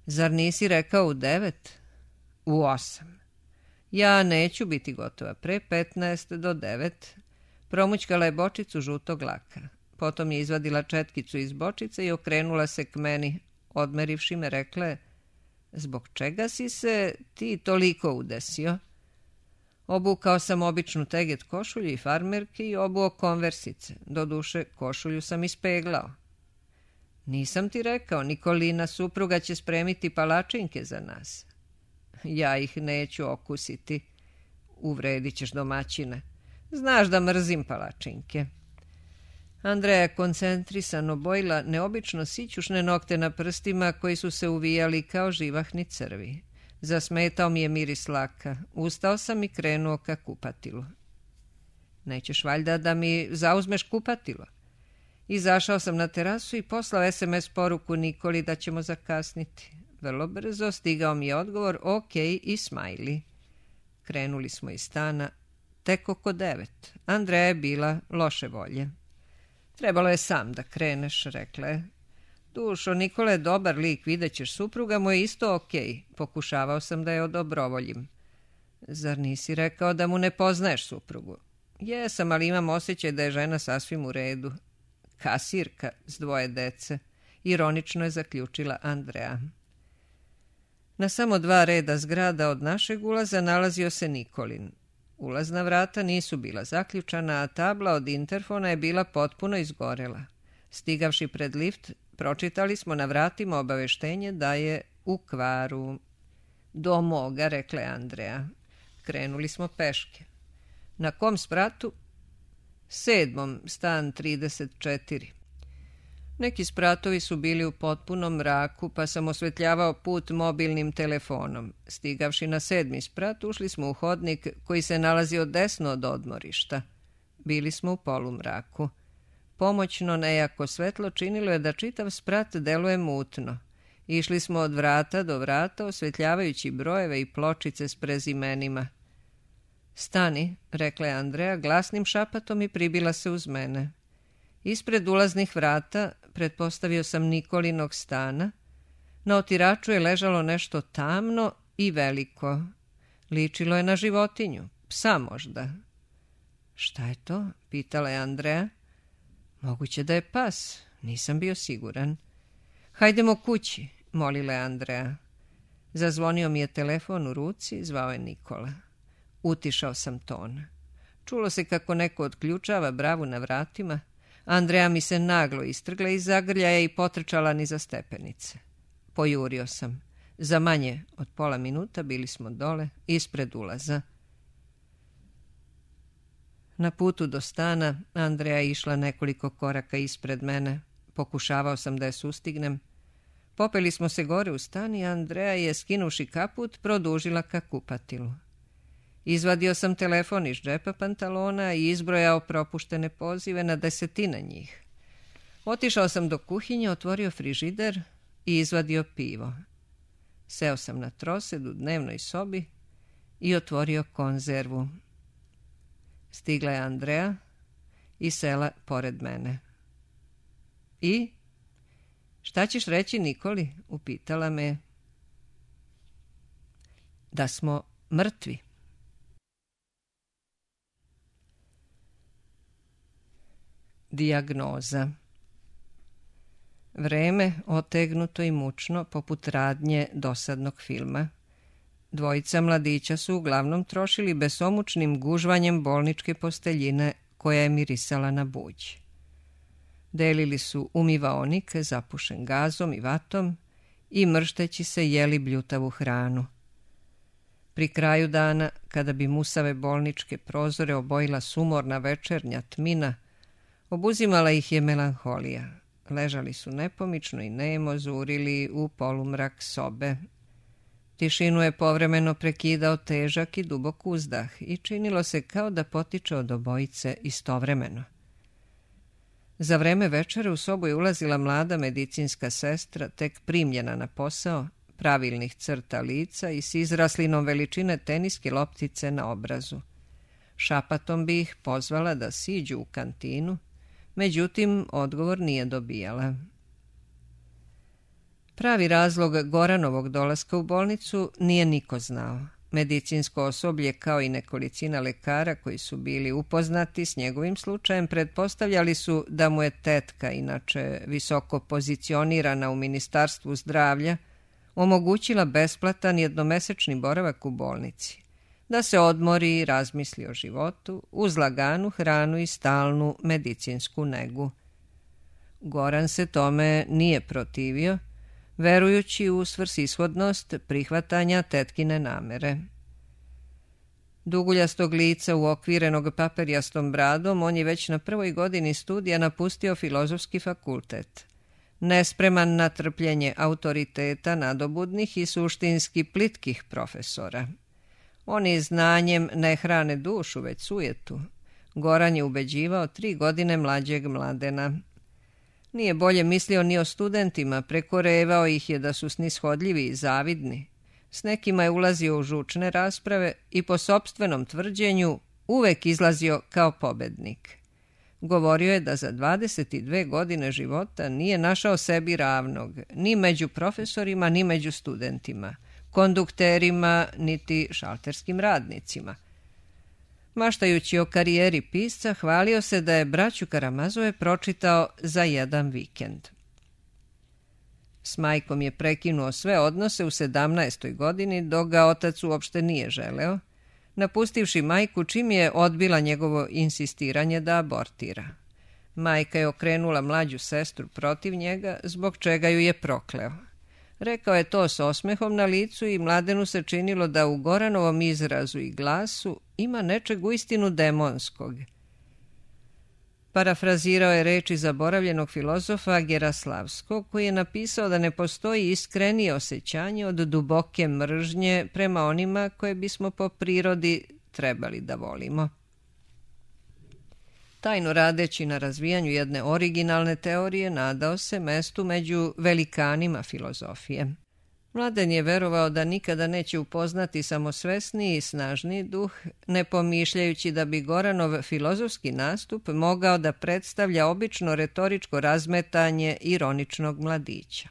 zar nisi rekao u 9? U 8. Ja neću biti gotova pre 15 do 9. Promućkala je bočicu žutog laka. Potom je izvadila četkicu iz bočice i okrenula se k meni. Odmerivši me, rekla je: zbog čega si se ti toliko udesio? Obukao sam običnu teget košulju i farmerke i obuo konversice. Doduše, košulju sam ispeglao. Nisam ti rekao, Nikolina supruga će spremiti palačinke za nas. Ja ih neću okusiti. Uvredit ćeš domaćine. Znaš da mrzim palačinke. Andreja je koncentrisano bojila neobično sićušne nokte na prstima koji su se uvijali kao živahni crvi. Zasmetao mi je miris laka. Ustao sam i krenuo ka kupatilu. Nećeš valjda da mi zauzmeš kupatilo? Izašao sam na terasu i poslao SMS poruku Nikoli da ćemo zakasniti. Vrlo brzo stigao mi je odgovor OK i smajli. Krenuli smo iz stana tek oko 9. Andreja je bila loše volje. Trebalo je sam da kreneš, rekla je. Dušo, Nikola je dobar lik, vidjet ćeš, supruga mu je isto OK. Pokušavao sam da je odobrovoljim. Zar nisi rekao da mu ne poznaješ suprugu? Jesam, ali imam osjećaj da je žena sasvim u redu. Kasirka s 2 dece, ironično je zaključila Andreja. Na samo 2 reda zgrada od našeg ulaza nalazio se Nikolin. Ulazna vrata nisu bila zaključana, a tabla od interfona je bila potpuno izgorela. Stigavši pred lift, pročitali smo na vratima obaveštenje da je u kvaru. Do moga, rekla je Andreja. Krenuli smo peške. Na kom spratu? 7. stan 34. Neki spratovi su bili u potpunom mraku, pa sam osvetljavao put mobilnim telefonom. Stigavši na 7. sprat, ušli smo u hodnik koji se nalazio desno od odmorišta. Bili smo u polumraku. Pomoćno nejako svetlo činilo je da čitav sprat deluje mutno. Išli smo od vrata do vrata, osvetljavajući brojeve i pločice s prezimenima. Stani, rekla je Andreja glasnim šapatom i pribila se uz mene. Ispred ulaznih vrata pretpostavio sam Nikolinog stana. Na otiraču je ležalo nešto tamno i veliko. Ličilo je na životinju, psa možda. Šta je to? Pitala je Andreja. Moguće da je pas, nisam bio siguran. Hajdemo kući, molila je Andreja. Zazvonio mi je telefon u ruci, zvao je Nikola. Utišao sam ton. Čulo se kako neko otključava bravu na vratima. Andreja mi se naglo istrgla iz zagrljaja i potrčala niza stepenice. Pojurio sam. Za manje od pola minuta bili smo dole, ispred ulaza. Na putu do stana Andreja je išla nekoliko koraka ispred mene. Pokušavao sam da je sustignem. Popeli smo se gore u stan i Andreja je, skinuši kaput, produžila ka kupatilu. Izvadio sam telefon iz džepa pantalona i izbrojao propuštene pozive na 10 njih. Otišao sam do kuhinje, otvorio frižider i izvadio pivo. Seo sam na trosed u dnevnoj sobi i otvorio konzervu. Stigla je Andreja i sela pored mene. I? Šta ćeš reći Nikoli? Upitala me. Da smo mrtvi. Dijagnoza. Vreme otegnuto i mučno poput radnje dosadnog filma. Dvojica mladića su uglavnom trošili besomučnim gužvanjem bolničke posteljine koja je mirisala na buđ. Delili su umivaonik zapušen gazom i vatom i mršteći se jeli bljutavu hranu. Pri kraju dana, kada bi musave bolničke prozore obojila sumorna večernja tmina, obuzimala ih je melanholija. Ležali su nepomično i nemo zurili u polumrak sobe. Tišinu je povremeno prekidao težak i dubok uzdah i činilo se kao da potiče od obojice istovremeno. Za vreme večere u sobu je ulazila mlada medicinska sestra, tek primljena na posao, pravilnih crta lica i s izraslinom veličine teniske loptice na obrazu. Šapatom bi ih pozvala da siđu u kantinu, međutim odgovor nije dobijala. Pravi razlog Goranovog dolaska u bolnicu nije niko znao. Medicinsko osoblje kao i nekolicina lekara koji su bili upoznati s njegovim slučajem pretpostavljali su da mu je tetka, inače visoko pozicionirana u Ministarstvu zdravlja, omogućila besplatan jednomesečni boravak u bolnici, da se odmori i razmisli o životu uz laganu hranu i stalnu medicinsku negu. Goran se tome nije protivio, verujući u svrsishodnost prihvatanja tetkine namere. Duguljastog lica uokvirenog paperjastom bradom, on je već na prvoj godini studija napustio Filozofski fakultet, nespreman na trpljenje autoriteta nadobudnih i suštinski plitkih profesora. Oni znanjem ne hrane dušu, već sujetu. Goran je ubeđivao 3 godine mlađeg Mladena. Nije bolje mislio ni o studentima, prekorevao ih je da su snishodljivi i zavidni. S nekima je ulazio u žučne rasprave i po sopstvenom tvrđenju uvek izlazio kao pobednik. Govorio je da za 22 godine života nije našao sebi ravnog, ni među profesorima, ni među studentima, kondukterima, niti šalterskim radnicima. Maštajući o karijeri pisca, hvalio se da je Braću Karamazove pročitao za jedan vikend. S majkom je prekinuo sve odnose u 17. godini, dok ga otac uopšte nije želeo, napustivši majku čim je odbila njegovo insistiranje da abortira. Majka je okrenula mlađu sestru protiv njega, zbog čega ju je prokleo. Rekao je to s osmehom na licu i Mladenu se činilo da u Goranovom izrazu i glasu ima nečeg uistinu demonskog. Parafrazirao je reči zaboravljenog filozofa Geraslavskog, koji je napisao da ne postoji iskrenije osjećanje od duboke mržnje prema onima koje bismo po prirodi trebali da volimo. Tajno radeći na razvijanju jedne originalne teorije, nadao se mestu među velikanima filozofije. Mladen je verovao da nikada neće upoznati samosvesniji i snažniji duh, ne pomišljajući da bi Goranov filozofski nastup mogao da predstavlja obično retoričko razmetanje ironičnog mladića.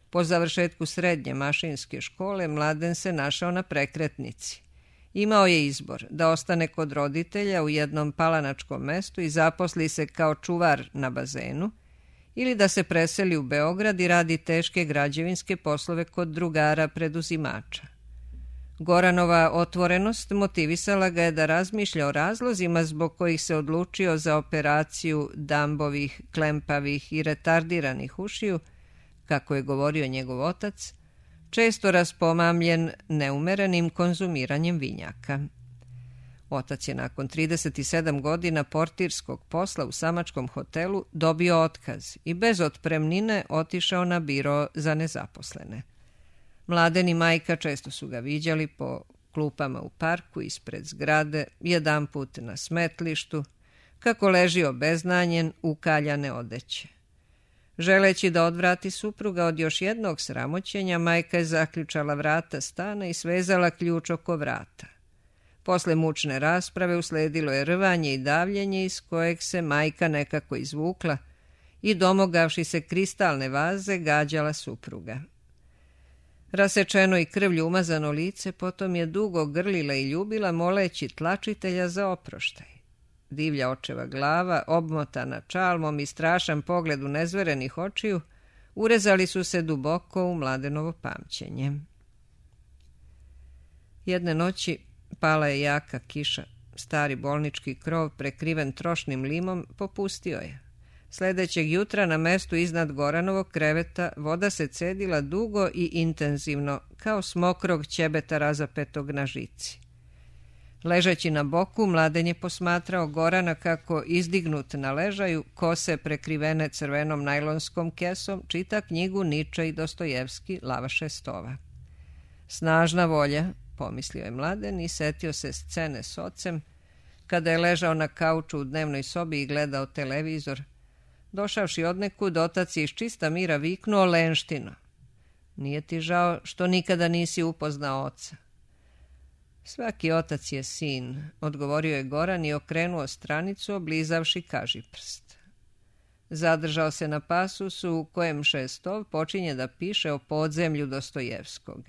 Po završetku srednje mašinske škole Mladen se našao na prekretnici. Imao je izbor da ostane kod roditelja u jednom palanačkom mestu i zaposli se kao čuvar na bazenu, ili da se preseli u Beograd i radi teške građevinske poslove kod drugara preduzimača. Goranova otvorenost motivisala ga je da razmišlja o razlozima zbog kojih se odlučio za operaciju dambovih, klempavih i retardiranih ušiju, kako je govorio njegov otac, često raspomamljen neumerenim konzumiranjem vinjaka. Otac je nakon 37 godina portirskog posla u samačkom hotelu dobio otkaz i bez otpremnine otišao na biro za nezaposlene. Mladen i majka često su ga viđali po klupama u parku ispred zgrade, jedanput na smetlištu, kako leži obeznanjen u kaljane odeće. Želeći da odvrati supruga od još jednog sramoćenja, majka je zaključala vrata stana i svezala ključ oko vrata. Posle mučne rasprave usledilo je rvanje i davljenje iz kojeg se majka nekako izvukla i domogavši se kristalne vaze gađala supruga. Rasečeno i krvlju umazano lice potom je dugo grlila i ljubila moleći tlačitelja za oproštaj. Divlja očeva glava, obmotana čalmom i strašan pogled u nezverenih očiju, urezali su se duboko u Mladenovo pamćenje. Jedne noći pala je jaka kiša. Stari bolnički krov, prekriven trošnim limom, popustio je. Sledećeg jutra na mestu iznad Goranovog kreveta voda se cedila dugo i intenzivno, kao smokrog ćebeta razapetog na žici. Ležeći na boku, Mladen je posmatrao Gorana kako, izdignut na ležaju, kose prekrivene crvenom najlonskom kesom, čita knjigu Niče i Dostojevski Lavaše Stova. Snažna volja, pomislio je Mladen i setio se scene s ocem, kada je ležao na kauču u dnevnoj sobi i gledao televizor. Došavši odnekud, otac je iz čista mira viknuo: Lenštino, nije ti žao što nikada nisi upoznao oca? Svaki otac je sin, odgovorio je Goran i okrenuo stranicu, oblizavši kažiprst. Zadržao se na pasusu u kojem Šestov počinje da piše o podzemlju Dostojevskog.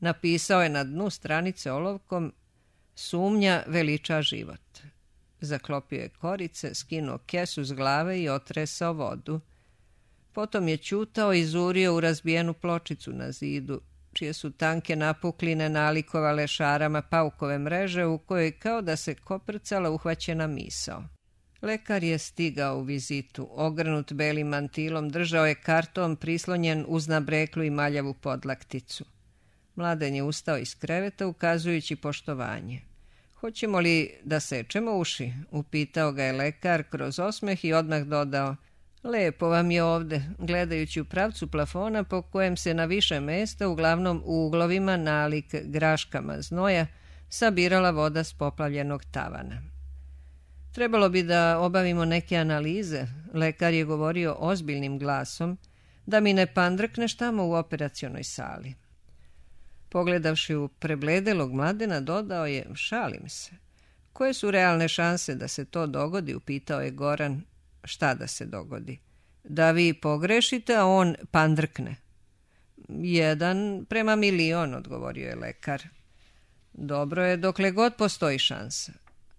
Napisao je na dnu stranice olovkom: "Sumnja veliča život." Zaklopio je korice, skinuo kesu s glave i otresao vodu. Potom je ćutao i zurio u razbijenu pločicu na zidu, čije su tanke napukline nalikovale šarama paukove mreže u kojoj kao da se koprcala uhvaćena misao. Lekar je stigao u vizitu, ogrnut belim mantilom, držao je karton prislonjen uz nabreklu i maljavu podlakticu. Mladen je ustao iz kreveta ukazujući poštovanje. "Hoćemo li da sečemo uši?" upitao ga je lekar kroz osmeh i odmah dodao: "Lepo vam je ovde," gledajući u pravcu plafona po kojem se na više mesta, uglavnom u uglovima nalik graškama znoja, sabirala voda s poplavljenog tavana. "Trebalo bi da obavimo neke analize," lekar je govorio ozbiljnim glasom, "da mi ne pandrkneš tamo u operacionoj sali." Pogledavši u prebledelog Mladena, dodao je: "Šalim se." "Koje su realne šanse da se to dogodi?" upitao je Goran. "Šta da se dogodi?" "Da vi pogrešite, a on pandrkne." 1:1.000.000, odgovorio je lekar. "Dobro je dokle god postoji šansa."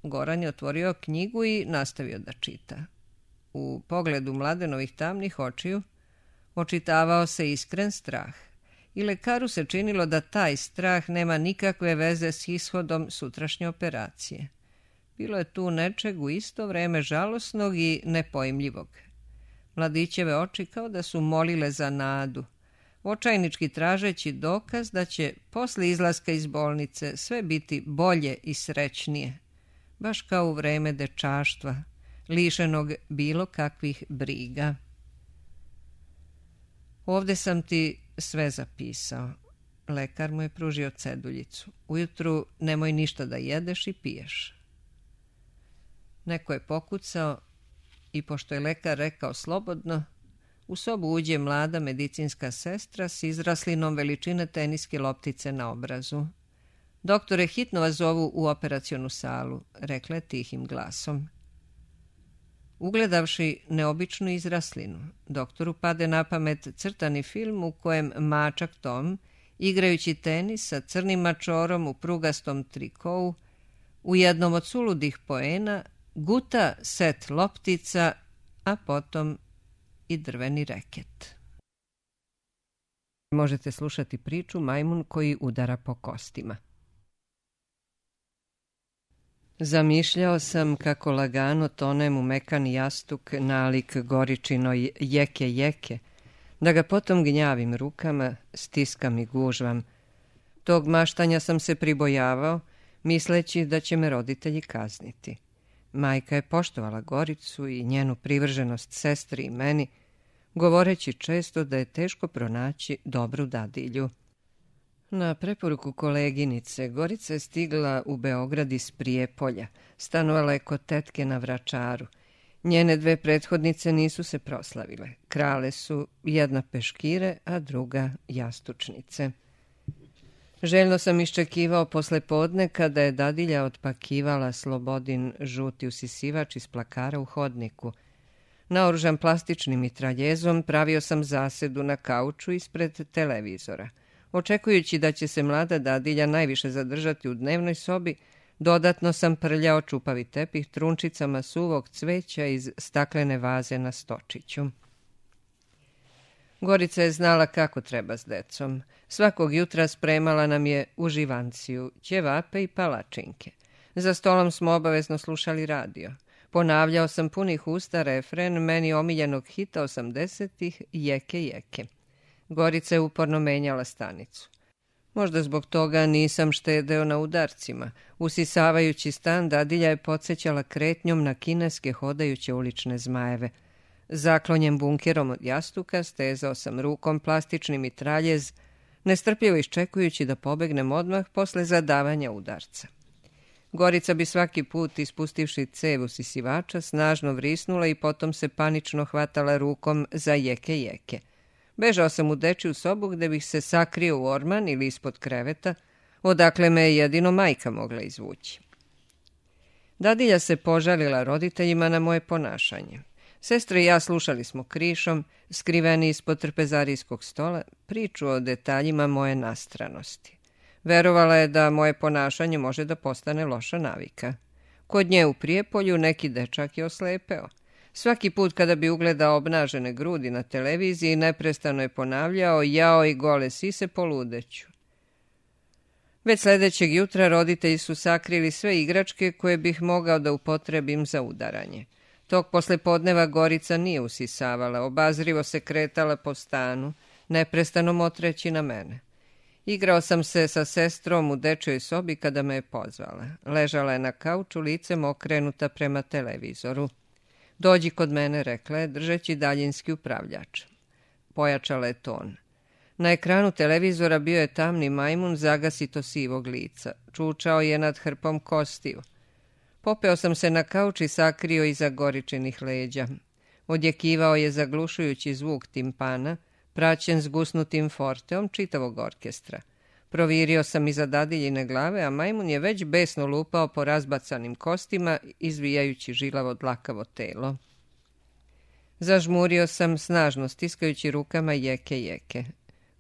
Goran je otvorio knjigu i nastavio da čita. U pogledu Mladenovih tamnih očiju očitavao se iskren strah. I lekaru se činilo da taj strah nema nikakve veze s ishodom sutrašnje operacije. Bilo je tu nečeg u isto vreme žalosnog i nepojmljivog. Mladićeve oči kao da su molile za nadu, očajnički tražeći dokaz da će posle izlaska iz bolnice sve biti bolje i srećnije, baš kao u vreme dečaštva, lišenog bilo kakvih briga. "Ovde sam ti sve zapisao." Lekar mu je pružio ceduljicu. "Ujutru nemoj ništa da jedeš i piješ." Neko je pokucao i pošto je lekar rekao slobodno, u sobu uđe mlada medicinska sestra s izraslinom veličine teniske loptice na obrazu. "Doktore, hitno vas zovu u operacionu salu," rekla je tihim glasom. Ugledavši neobičnu izraslinu, doktoru pade na pamet crtani film u kojem mačak Tom, igrajući tenis sa crnim mačorom u prugastom trikovu, u jednom od suludih poena guta set loptica, a potom i drveni reket. Možete slušati priču Majmun koji udara po kostima. Zamišljao sam kako lagano tonem u mekani jastuk nalik Goričinoj jeke, da ga potom gnjavim rukama, stiskam i gužvam. Tog maštanja sam se pribojavao, misleći da će me roditelji kazniti. Majka je poštovala Goricu i njenu privrženost sestri i meni, govoreći često da je teško pronaći dobru dadilju. Na preporuku koleginice, Gorica je stigla u Beograd iz Prijepolja, stanovala je kod tetke na Vračaru. Njene dve prethodnice nisu se proslavile. Krale su jedna peškire, a druga jastučnice. Željno sam iščekivao posle podne kada je dadilja otpakivala Slobodin žuti usisivač iz plakara u hodniku. Naoružan plastičnim mitraljezom pravio sam zasedu na kauču ispred televizora. Očekujući da će se mlada dadilja najviše zadržati u dnevnoj sobi, dodatno sam prljao čupavi tepih trunčicama suvog cveća iz staklene vaze na stočiću. Gorica je znala kako treba s decom. Svakog jutra spremala nam je uživanciju, ćevape i palačinke. Za stolom smo obavezno slušali radio. Ponavljao sam punih usta refren meni omiljenog hita 80-ih Jeke. Gorica je uporno menjala stanicu. Možda zbog toga nisam štedeo na udarcima. Usisavajući stan, dadilja je podsjećala kretnjom na kineske hodajuće ulične zmajeve. Zaklonjen bunkerom od jastuka stezao sam rukom plastični mitraljez, nestrpljivo iščekujući da pobegnem odmah posle zadavanja udarca. Gorica bi svaki put, ispustivši cev usisivača, snažno vrisnula i potom se panično hvatala rukom za jeke. Bežao sam u dečiju sobu gde bih se sakrio u orman ili ispod kreveta, odakle me je jedino majka mogla izvući. Dadilja se požalila roditeljima na moje ponašanje. Sestra i ja slušali smo krišom, skriveni ispod trpezarijskog stola, priču o detaljima moje nastranosti. Verovala je da moje ponašanje može da postane loša navika. Kod nje u Prijepolju neki dečak je oslepeo. Svaki put kada bi ugledao obnažene grudi na televiziji, neprestano je ponavljao: jao i gole sise, poludeću. Već sljedećeg jutra roditelji su sakrili sve igračke koje bih mogao da upotrebim za udaranje. Tog poslepodneva Gorica nije usisavala, obazrivo se kretala po stanu, neprestano motreći na mene. Igrao sam se sa sestrom u dečjoj sobi kada me je pozvala. Ležala je na kauču, licem okrenuta prema televizoru. Dođi kod mene, rekla je, držeći daljinski upravljač. Pojačala je ton. Na ekranu televizora bio je tamni majmun zagasito sivog lica. Čučao je nad hrpom kostiju. Popeo sam se na kauč i sakrio iza Goričinih leđa. Odjekivao je zaglušujući zvuk timpana, praćen zgusnutim forteom čitavog orkestra. Provirio sam iza dadiljine glave, a majmun je već besno lupao po razbacanim kostima, izvijajući žilavo dlakavo telo. Zažmurio sam, snažno stiskajući rukama jeke.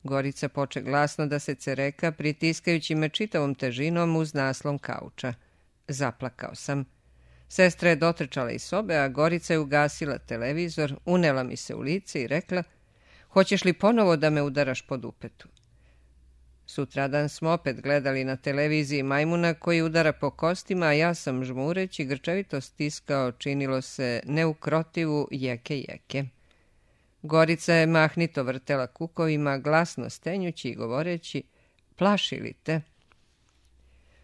Gorica poče glasno da se cereka, pritiskajući me čitavom težinom uz naslon kauča. Zaplakao sam. Sestra je dotrčala iz sobe, a Gorica je ugasila televizor, unela mi se u lice i rekla: hoćeš li ponovo da me udaraš po dupetu? Sutradan smo opet gledali na televiziji majmuna koji udara po kostima, a ja sam žmureći grčevito stiskao, činilo se, neukrotivu jeke. Gorica je mahnito vrtela kukovima, glasno stenjući i govoreći: plaši li te?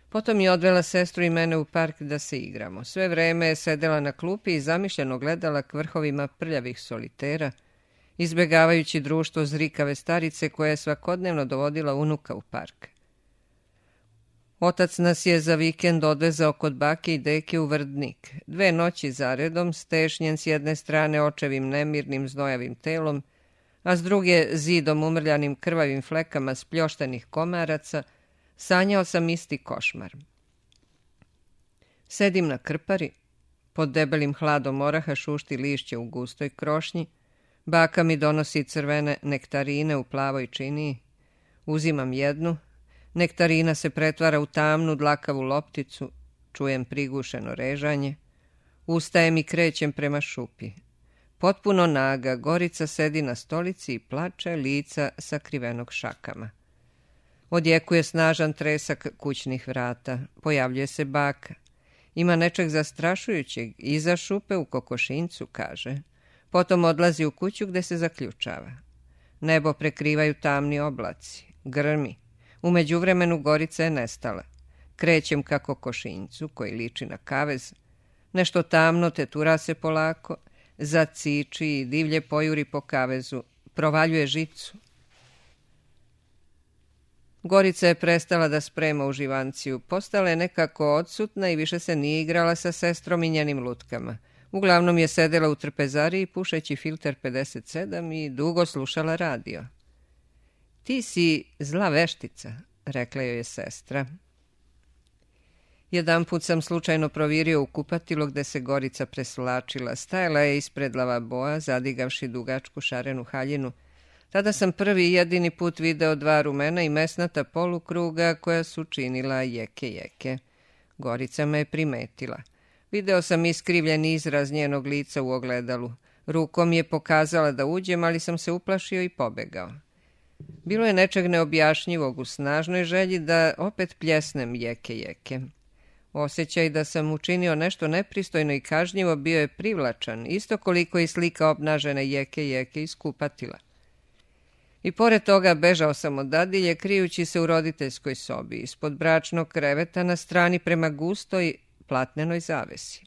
Potom je odvela sestru i mene u park da se igramo. Sve vreme je sedela na klupi i zamišljeno gledala k vrhovima prljavih solitera, izbjegavajući društvo zrikave starice koja je svakodnevno dovodila unuka u park. Otac nas je za vikend odvezao kod bake i deke u Vrdnik. 2 noći zaredom, stešnjen s jedne strane očevim nemirnim znojavim telom, a s druge zidom umrljanim krvavim flekama spljoštenih komaraca, sanjao sam isti košmar. Sedim na krpari, pod debelim hladom oraha šušti lišće u gustoj krošnji, baka mi donosi crvene nektarine u plavoj činiji. Uzimam jednu, nektarina se pretvara u tamnu dlakavu lopticu, čujem prigušeno režanje, ustajem i krećem prema šupi. Potpuno naga, Gorica sedi na stolici i plače, lica sakrivenog šakama. Odjekuje snažan tresak kućnih vrata, pojavljuje se baka. Ima nečeg zastrašujućeg, iza šupe u kokošincu, kaže. Potom odlazi u kuću gde se zaključava. Nebo prekrivaju tamni oblaci, grmi. U međuvremenu Gorica je nestala. Krećem ka kokošincu, koji liči na kavez. Nešto tamno tetura se polako, zaciči i divlje pojuri po kavezu, provaljuje žicu. Gorica je prestala da sprema uživanciju, postala je nekako odsutna i više se nije igrala sa sestrom i njenim lutkama. Uglavnom je sedela u trpezariji pušeći filter 57 i dugo slušala radio. Ti si zla veštica, rekla joj je sestra. Jedanput sam slučajno provirio u kupatilo gde se Gorica presvlačila. Stajala je ispred lavaboa, zadigavši dugačku šarenu haljinu. Tada sam prvi i jedini put video 2 rumena i mesnata polukruga koja su činila jeke. Gorica me je primetila. Video sam iskrivljen izraz njenog lica u ogledalu. Rukom je pokazala da uđem, ali sam se uplašio i pobegao. Bilo je nečeg neobjašnjivog u snažnoj želji da opet pljesnem jeke. Osjećaj da sam učinio nešto nepristojno i kažnjivo bio je privlačan, isto koliko i slika obnažene jeke iz kupatila. I pored toga bežao sam od dadilje, krijući se u roditeljskoj sobi, ispod bračnog kreveta na strani prema gustoj platnenoj zavesi.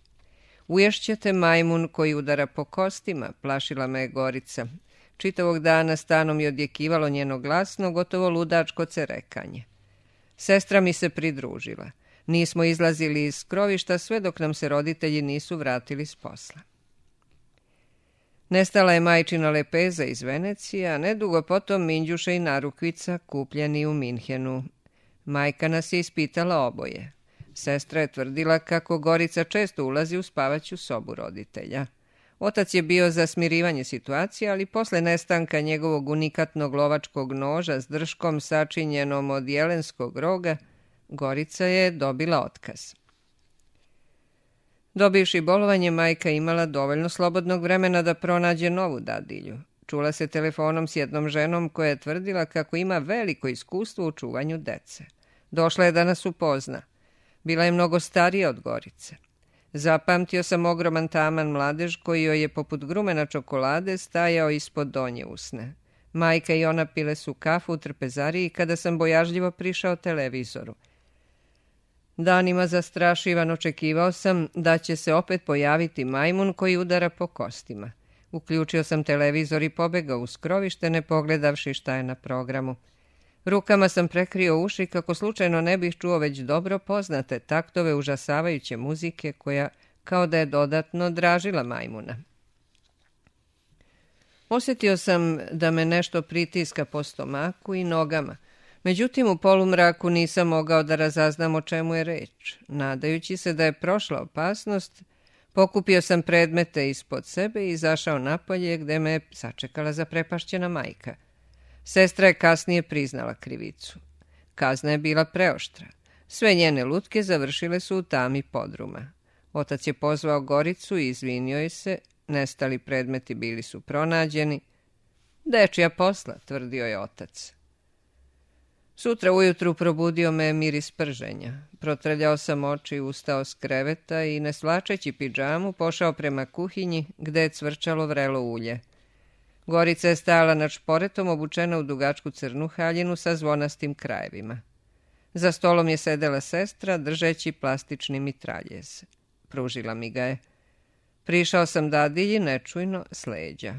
Uješćete majmun koji udara po kostima, plašila me je Gorica. Čitavog dana stanom je odjekivalo njeno glasno, gotovo ludačko cerekanje. Sestra mi se pridružila. Nismo izlazili iz skrovišta sve dok nam se roditelji nisu vratili s posla. Nestala je majčina lepeza iz Venecije, a nedugo potom minđuše i narukvica kupljeni u Minhenu. Majka nas je ispitala oboje. Sestra je tvrdila kako Gorica često ulazi u spavaću sobu roditelja. Otac je bio za smirivanje situacije, ali posle nestanka njegovog unikatnog lovačkog noža s drškom sačinjenom od jelenskog roga, Gorica je dobila otkaz. Dobivši bolovanje, majka imala dovoljno slobodnog vremena da pronađe novu dadilju. Čula se telefonom s jednom ženom koja je tvrdila kako ima veliko iskustvo u čuvanju dece. Došla je da nas upozna. Bila je mnogo starija od Gorice. Zapamtio sam ogroman taman mladež koji joj je poput grumena čokolade stajao ispod donje usne. Majka i ona pile su kafu u trpezariji kada sam bojažljivo prišao televizoru. Danima zastrašivan očekivao sam da će se opet pojaviti majmun koji udara po kostima. Uključio sam televizor i pobegao u skrovište, ne pogledavši šta je na programu. Rukama sam prekrio uši kako slučajno ne bih čuo već dobro poznate taktove užasavajuće muzike koja kao da je dodatno dražila majmuna. Osjetio sam da me nešto pritiska po stomaku i nogama. Međutim, u polumraku nisam mogao da razaznam o čemu je reč. Nadajući se da je prošla opasnost, pokupio sam predmete ispod sebe i izašao napolje gde me sačekala zaprepašćena majka. Sestra je kasnije priznala krivicu. Kazna je bila preoštra. Sve njene lutke završile su u tami podruma. Otac je pozvao Goricu i izvinio je se. Nestali predmeti bili su pronađeni. Dečija posla, tvrdio je otac. Sutra ujutru probudio me miris prženja. Protrljao sam oči, ustao s kreveta i, ne svlačeći pidžamu, pošao prema kuhinji gde je cvrčalo vrelo ulje. Gorica je stajala nad šporetom, obučena u dugačku crnu haljinu sa zvonastim krajevima. Za stolom je sedela sestra, držeći plastični mitraljez. Pružila mi ga je. Prišao sam dadilji nečujno s leđa.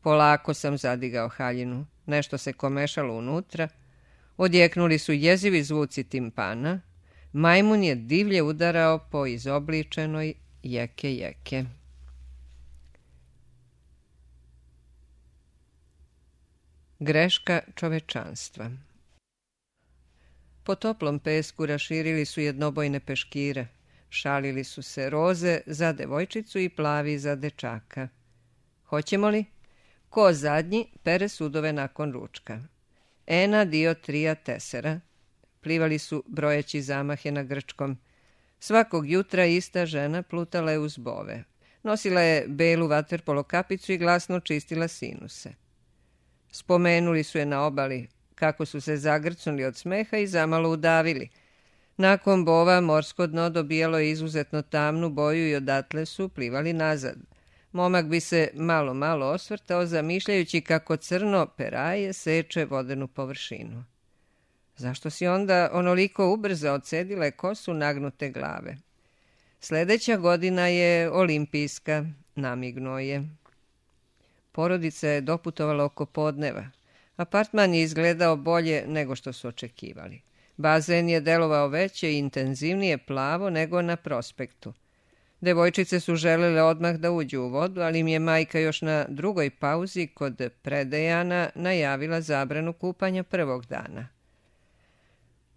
Polako sam zadigao haljinu. Nešto se komešalo unutra. Odjeknuli su jezivi zvuci timpana. Majmun je divlje udarao po izobličenoj jeke. Greška čovečanstva. Po toplom pesku raširili su jednobojne peškire. Šalili su se roze za devojčicu i plavi za dečaka. Hoćemo li? Ko zadnji pere sudove nakon ručka. Ena dio trija tesera. Plivali su brojeći zamahe na grčkom. Svakog jutra ista žena plutala je uz bove. Nosila je belu vaterpolo kapicu i glasno čistila sinuse. Spomenuli su je na obali, kako su se zagrcnuli od smeha i zamalo udavili. Nakon bova morsko dno dobijalo je izuzetno tamnu boju i odatle su plivali nazad. Momak bi se malo osvrtao, zamišljajući kako crno peraje seče vodenu površinu. Zašto si onda onoliko ubrzo odcedile kosu nagnute glave? Sledeća godina je olimpijska, namignuo je. Porodica je doputovala oko podneva. Apartman je izgledao bolje nego što su očekivali. Bazen je delovao veće i intenzivnije plavo nego na prospektu. Devojčice su želele odmah da uđu u vodu, ali im je majka još na drugoj pauzi kod predejana najavila zabranu kupanja prvog dana.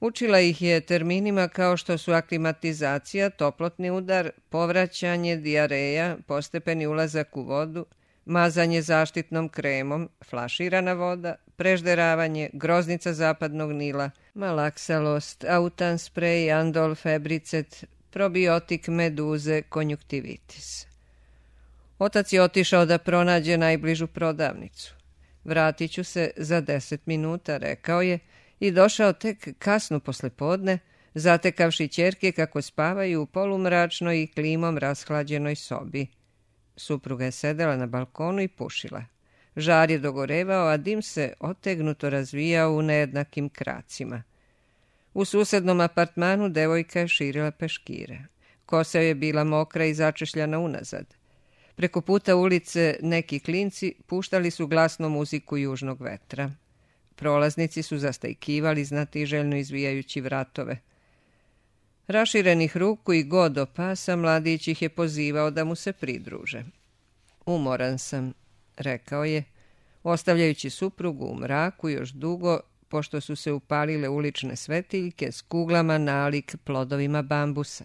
Učila ih je terminima kao što su aklimatizacija, toplotni udar, povraćanje, dijareja, postepeni ulazak u vodu, mazanje zaštitnom kremom, flaširana voda, prežderavanje, groznica zapadnog Nila, malaksalost, autan sprej, andol, febricet, probiotik, meduze, konjuktivitis. Otac je otišao da pronađe najbližu prodavnicu. Vratit ću se za 10 minuta, rekao je, i došao tek kasno poslepodne, zatekavši ćerke kako spavaju u polumračnoj i klimom rashlađenoj sobi. Supruga je sedela na balkonu i pušila. Žar je dogorevao, a dim se otegnuto razvijao u nejednakim kracima. U susednom apartmanu devojka je širila peškire. Kosa je bila mokra i začešljana unazad. Preko puta ulice neki klinci puštali su glasno muziku južnog vetra. Prolaznici su zastajkivali znatiželjno izvijajući vratove. Raširenih ruku i god do pasa mladić ih je pozivao da mu se pridruže. Umoran sam, rekao je, ostavljajući suprugu u mraku još dugo, pošto su se upalile ulične svetiljke s kuglama nalik plodovima bambusa.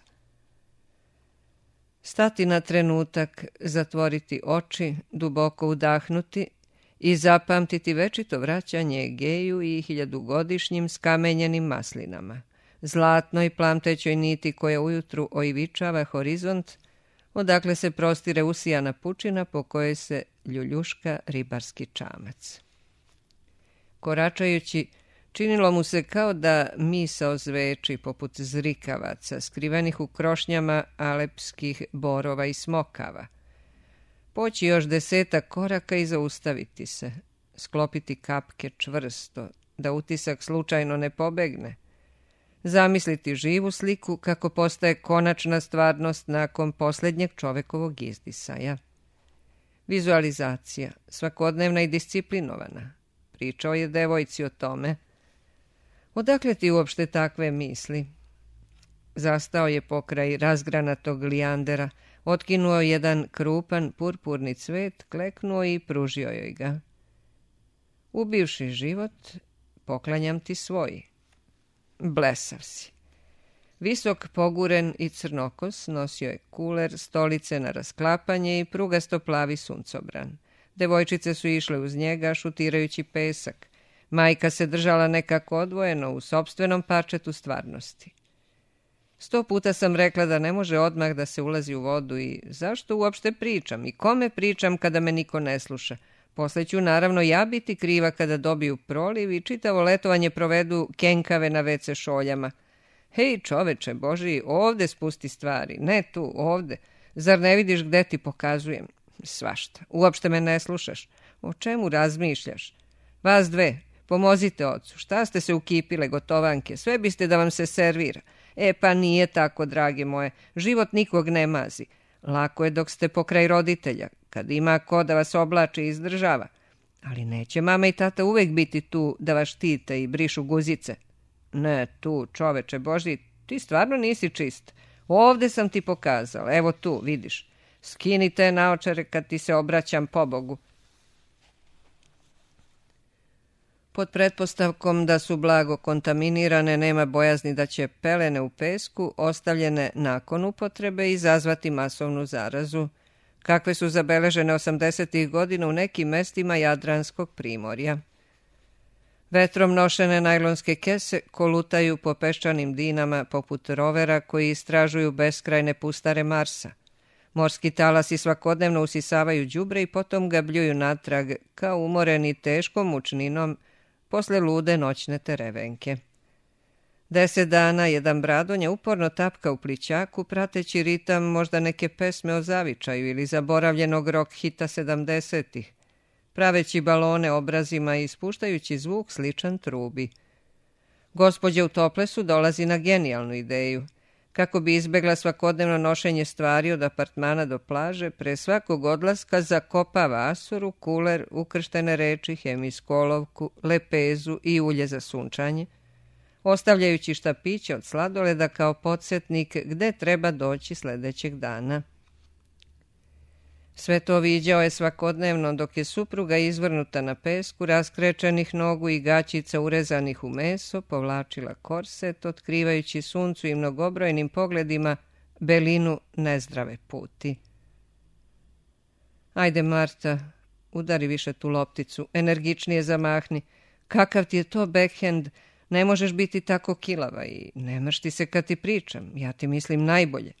Stati na trenutak, zatvoriti oči, duboko udahnuti i zapamtiti večito vraćanje Egeju i 1000-godišnjim skamenjenim maslinama, zlatnoj plamtećoj niti koja ujutru oivičava horizont, odakle se prostire usijana pučina po kojoj se ljuljuška ribarski čamac. Koračajući, činilo mu se kao da misao zveči poput zrikavaca, skrivenih u krošnjama alepskih borova i smokava. Poći još 10 koraka i zaustaviti se, sklopiti kapke čvrsto, da utisak slučajno ne pobegne, zamisliti živu sliku kako postaje konačna stvarnost nakon posljednjeg čovekovog izdisaja. Vizualizacija, svakodnevna i disciplinovana. Pričao je devojci o tome. Odakle ti uopšte takve misli? Zastao je pokraj razgranatog lijandera, otkinuo jedan krupan purpurni cvet, kleknuo i pružio joj ga. Ubivši život, poklanjam ti svoj. Blesav si. Visok, poguren i crnokos, nosio je kuler, stolice na rasklapanje i prugasto plavi suncobran. Devojčice su išle uz njega, šutirajući pesak. Majka se držala nekako odvojeno u sopstvenom parčetu stvarnosti. 100 puta sam rekla da ne može odmah da se ulazi u vodu i zašto uopšte pričam i kome pričam kada me niko ne sluša. Posle ću naravno ja biti kriva kada dobiju proliv i čitavo letovanje provedu kenkave na WC šoljama. Hej čoveče Božiji, ovde spusti stvari, ne tu, ovde. Zar ne vidiš gde ti pokazujem? Svašta, uopšte me ne slušaš. O čemu razmišljaš? Vas dve, pomozite ocu, šta ste se ukipile gotovanke, sve biste da vam se servira. Pa nije tako, drage moje, život nikog ne mazi. Lako je dok ste pokraj roditelja, kad ima ko da vas oblači i izdržava. Ali neće mama i tata uvek biti tu da vas štite i brišu guzice. Ne, tu, čoveče Božji, ti stvarno nisi čist. Ovde sam ti pokazala, evo tu, vidiš. Skini te naočare kad ti se obraćam pobogu. Pod pretpostavkom da su blago kontaminirane, nema bojazni da će pelene u pesku, ostavljene nakon upotrebe, izazvati masovnu zarazu, kakve su zabeležene 80. godina u nekim mestima Jadranskog primorja. Vetrom nošene najlonske kese kolutaju po peščanim dinama poput rovera koji istražuju beskrajne pustare Marsa. Morski talasi svakodnevno usisavaju đubre i potom ga bljuju natrag kao umoreni teškom mučninom posle lude noćne terevenke. 10 dana jedan bradonja uporno tapka u plićaku, prateći ritam možda neke pesme o zavičaju ili zaboravljenog rock hita 70-ih, praveći balone obrazima i ispuštajući zvuk sličan trubi. Gospođa u toplesu dolazi na genijalnu ideju. Kako bi izbegla svakodnevno nošenje stvari od apartmana do plaže, pre svakog odlaska zakopava asuru, kuler, ukrštene reči, hemijsku olovku, lepezu i ulje za sunčanje, ostavljajući štapiće od sladoleda kao podsjetnik gde treba doći sledećeg dana. Sve to viđao je svakodnevno dok je supruga izvrnuta na pesku, raskrečenih nogu i gaćica urezanih u meso, povlačila korset, otkrivajući suncu i mnogobrojnim pogledima belinu nezdrave puti. Ajde, Marta, udari više tu lopticu, energičnije zamahni. Kakav ti je to backhand? Ne možeš biti tako kilava i ne mršti se kad ti pričam, ja ti mislim najbolje.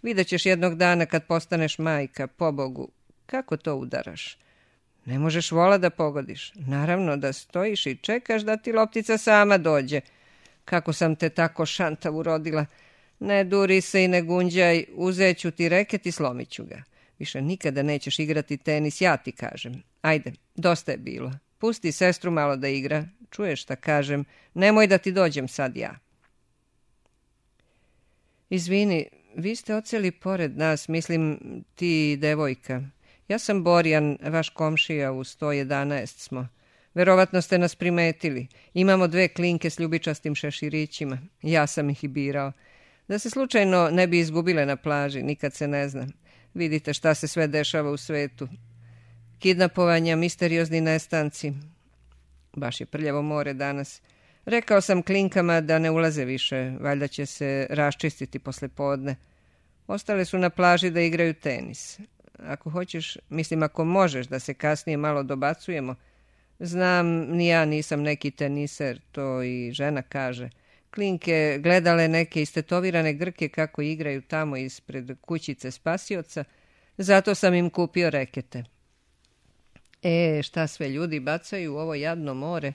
Vidjet ćeš jednog dana kad postaneš majka, pobogu, kako to udaraš. Ne možeš vola da pogodiš. Naravno da stojiš i čekaš da ti loptica sama dođe. Kako sam te tako šantavu rodila. Ne duri se i ne gunđaj, uzet ću ti reket i slomit ću ga. Više nikada nećeš igrati tenis, ja ti kažem. Ajde, dosta je bilo. Pusti sestru malo da igra. Čuješ šta kažem? Nemoj da ti dođem sad ja. Izvini, vi ste odseli pored nas, mislim ti i devojka. Ja sam Borjan, vaš komšija, u 111 smo. Verovatno ste nas primetili. Imamo 2 klinke s ljubičastim šeširićima. Ja sam ih i birao. Da se slučajno ne bi izgubile na plaži, nikad se ne zna. Vidite šta se sve dešava u svetu. Kidnapovanja, misteriozni nestanci. Baš je prljavo more danas. Rekao sam klinkama da ne ulaze više, valjda će se raščistiti posle podne. Ostale su na plaži da igraju tenis. Ako hoćeš, mislim ako možeš da se kasnije malo dobacujemo. Znam, ni ja nisam neki teniser, to i žena kaže. Klinke gledale neke istetovirane Grke kako igraju tamo ispred kućice spasioca, zato sam im kupio rekete. Šta sve ljudi bacaju u ovo jadno more?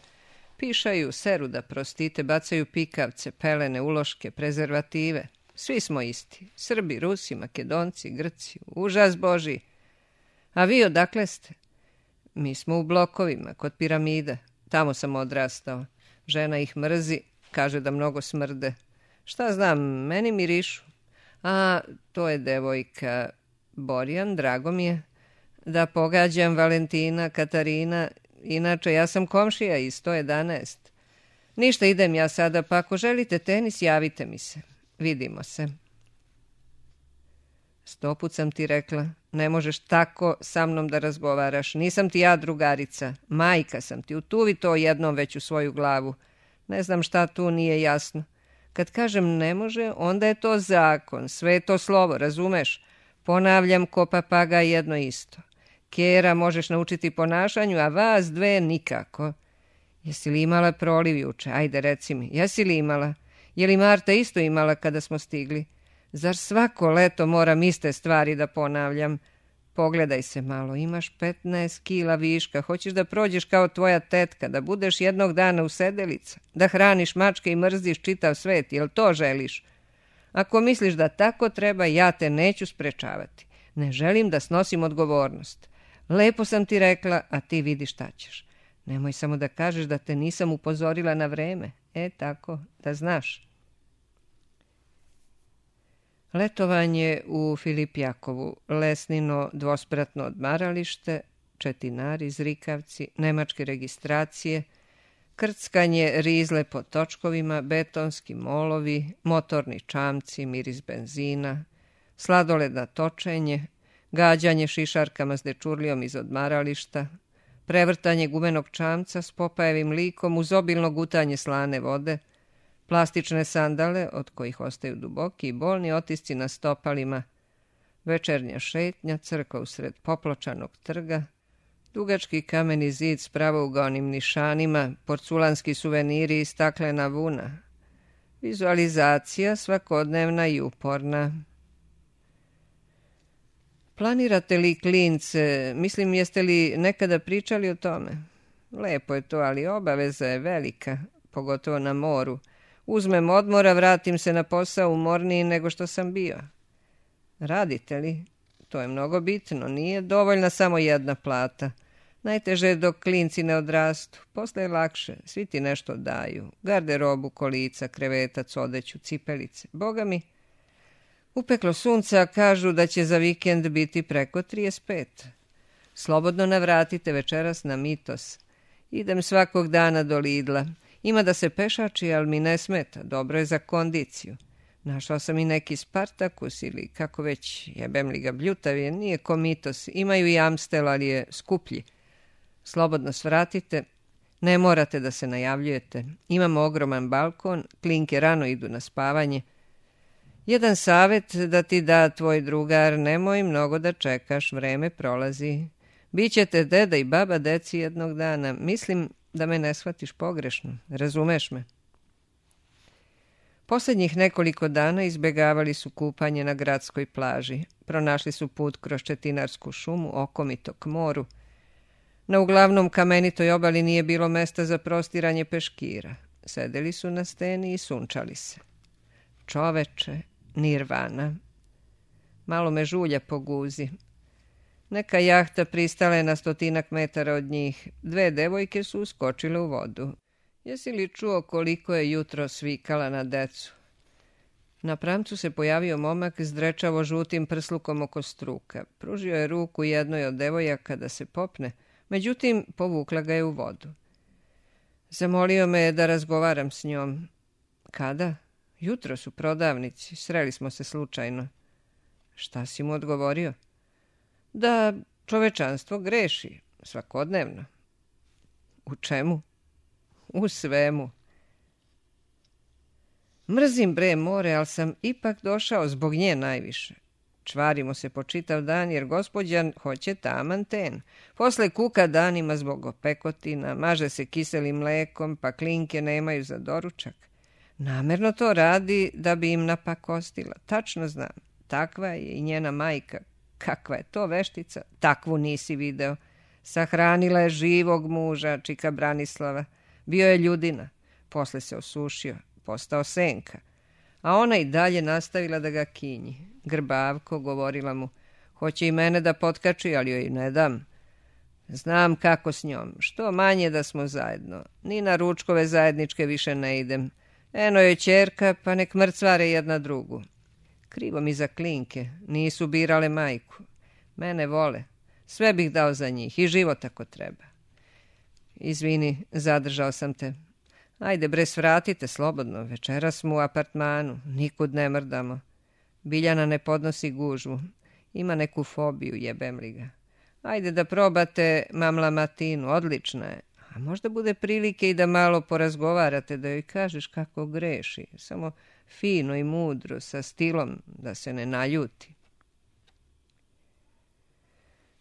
Pišaju, seru da prostite, bacaju pikavce, pelene, uloške, prezervative. Svi smo isti. Srbi, Rusi, Makedonci, Grci. Užas Božji. A vi odakle ste? Mi smo u blokovima, kod piramida. Tamo sam odrastao. Žena ih mrzi, kaže da mnogo smrde. Šta znam, meni mirišu. A, to je devojka. Borjan, drago mi je. Da pogađam, Valentina, Katarina. Inače, ja sam komšija iz 111. Ništa, idem ja sada, pa ako želite tenis, javite mi se. Vidimo se. 100 put sam ti rekla, ne možeš tako sa mnom da razgovaraš. Nisam ti ja drugarica, majka sam ti. Utuvi to jednom već u svoju glavu. Ne znam šta tu nije jasno. Kad kažem ne može, onda je to zakon, sve je to slovo, razumeš? Ponavljam ko papagaj jedno isto. Kjera možeš naučiti ponašanju, a vas dve nikako. Jesi li imala proliv juče? Ajde, reci mi, jesi li imala? Je li Marta isto imala kada smo stigli? Zar svako leto moram iste stvari da ponavljam? Pogledaj se malo, imaš 15 kila viška, hoćeš da prođeš kao tvoja tetka, da budeš jednog dana usedelica, da hraniš mačke i mrziš čitav svet, jel to želiš? Ako misliš da tako treba, ja te neću sprečavati. Ne želim da snosim odgovornost. Lepo sam ti rekla, a ti vidi šta ćeš. Nemoj samo da kažeš da te nisam upozorila na vreme. Tako, da znaš. Letovanje u Filipjakovu, Lesnino dvospratno odmaralište, Četinari, Zrikavci, nemačke registracije, krckanje rizle po točkovima, betonski molovi, motorni čamci, miris benzina, sladoled na točenje, gađanje šišarkama s dečurlijom iz odmarališta, prevrtanje gumenog čamca s Popajevim likom uz obilno gutanje slane vode, plastične sandale od kojih ostaju duboki i bolni otisci na stopalima, večernja šetnja, crkva usred popločanog trga, dugački kameni zid s pravougaonim nišanima, porculanski suveniri i staklena vuna, vizualizacija svakodnevna i uporna. Planirate li klince, mislim jeste li nekada pričali o tome? Lepo je to, ali obaveza je velika, pogotovo na moru. Uzmem odmora, vratim se na posao umorniji nego što sam bio. Radite li? To je mnogo bitno, nije dovoljna samo jedna plata. Najteže je dok klinci ne odrastu, posle je lakše, svi ti nešto daju. Garderobu, kolica, krevetac, odeću, cipelice. Boga mi, upeklo sunca, kažu da će za vikend biti preko 35. Slobodno navratite večeras na Mitos. Idem svakog dana do Lidla. Ima da se pešači, ali mi ne smeta. Dobro je za kondiciju. Našao sam i neki Spartakus ili kako već, jebem li ga, bljutav je, nije ko Mitos. Imaju i Amstel, ali je skuplji. Slobodno svratite. Ne morate da se najavljujete. Imamo ogroman balkon, klinke rano idu na spavanje. Jedan savjet da ti da tvoj drugar, nemoj mnogo da čekaš, vreme prolazi. Bićete deda i baba deci jednog dana. Mislim da me ne shvatiš pogrešno, razumeš me? Posljednjih nekoliko dana izbjegavali su kupanje na gradskoj plaži. Pronašli su put kroz Četinarsku šumu, okomito k moru. Na uglavnom kamenitoj obali nije bilo mesta za prostiranje peškira. Sedeli su na steni i sunčali se. Čoveče, nirvana. Malo me žulja po guzi. Neka jahta pristala je na 100 metara od njih. 2 devojke su uskočile u vodu. Jesi li čuo koliko je jutro svikala na decu? Na pramcu se pojavio momak s drečavo žutim prslukom oko struka. Pružio je ruku jednoj od devojaka da se popne, međutim povukla ga je u vodu. Zamolio me da razgovaram s njom. Kada? Jutro su prodavnici, sreli smo se slučajno. Šta si mu odgovorio? Da čovečanstvo greši, svakodnevno. U čemu? U svemu. Mrzim bre more, ali sam ipak došao zbog nje najviše. Čvarimo se po čitav dan jer gospođa hoće taman ten. Posle kuka danima zbog opekotina, maže se kiselim mlekom, pa klinke nemaju za doručak. Namerno to radi da bi im napakostila. Tačno znam, takva je i njena majka. Kakva je to veštica, takvu nisi video. Sahranila je živog muža, čika Branislava. Bio je ljudina, posle se osušio, postao senka. A ona i dalje nastavila da ga kinji. Grbavko, govorila mu, hoće i mene da potkači, ali joj ne dam. Znam kako s njom, što manje da smo zajedno. Ni na ručkove zajedničke više ne idem. Eno je ćerka, pa nek mrcvare jedna drugu. Krivo mi za klinke, nisu birale majku. Mene vole, sve bih dao za njih i život ako treba. Izvini, zadržao sam te. Ajde bre, svratite slobodno, večeras smo u apartmanu, nikud ne mrdamo. Biljana ne podnosi gužvu, ima neku fobiju, jebem li ga. Ajde da probate mamla matinu, odlična je. A možda bude prilike i da malo porazgovarate, da joj kažeš kako greši, samo fino i mudro, sa stilom, da se ne naljuti.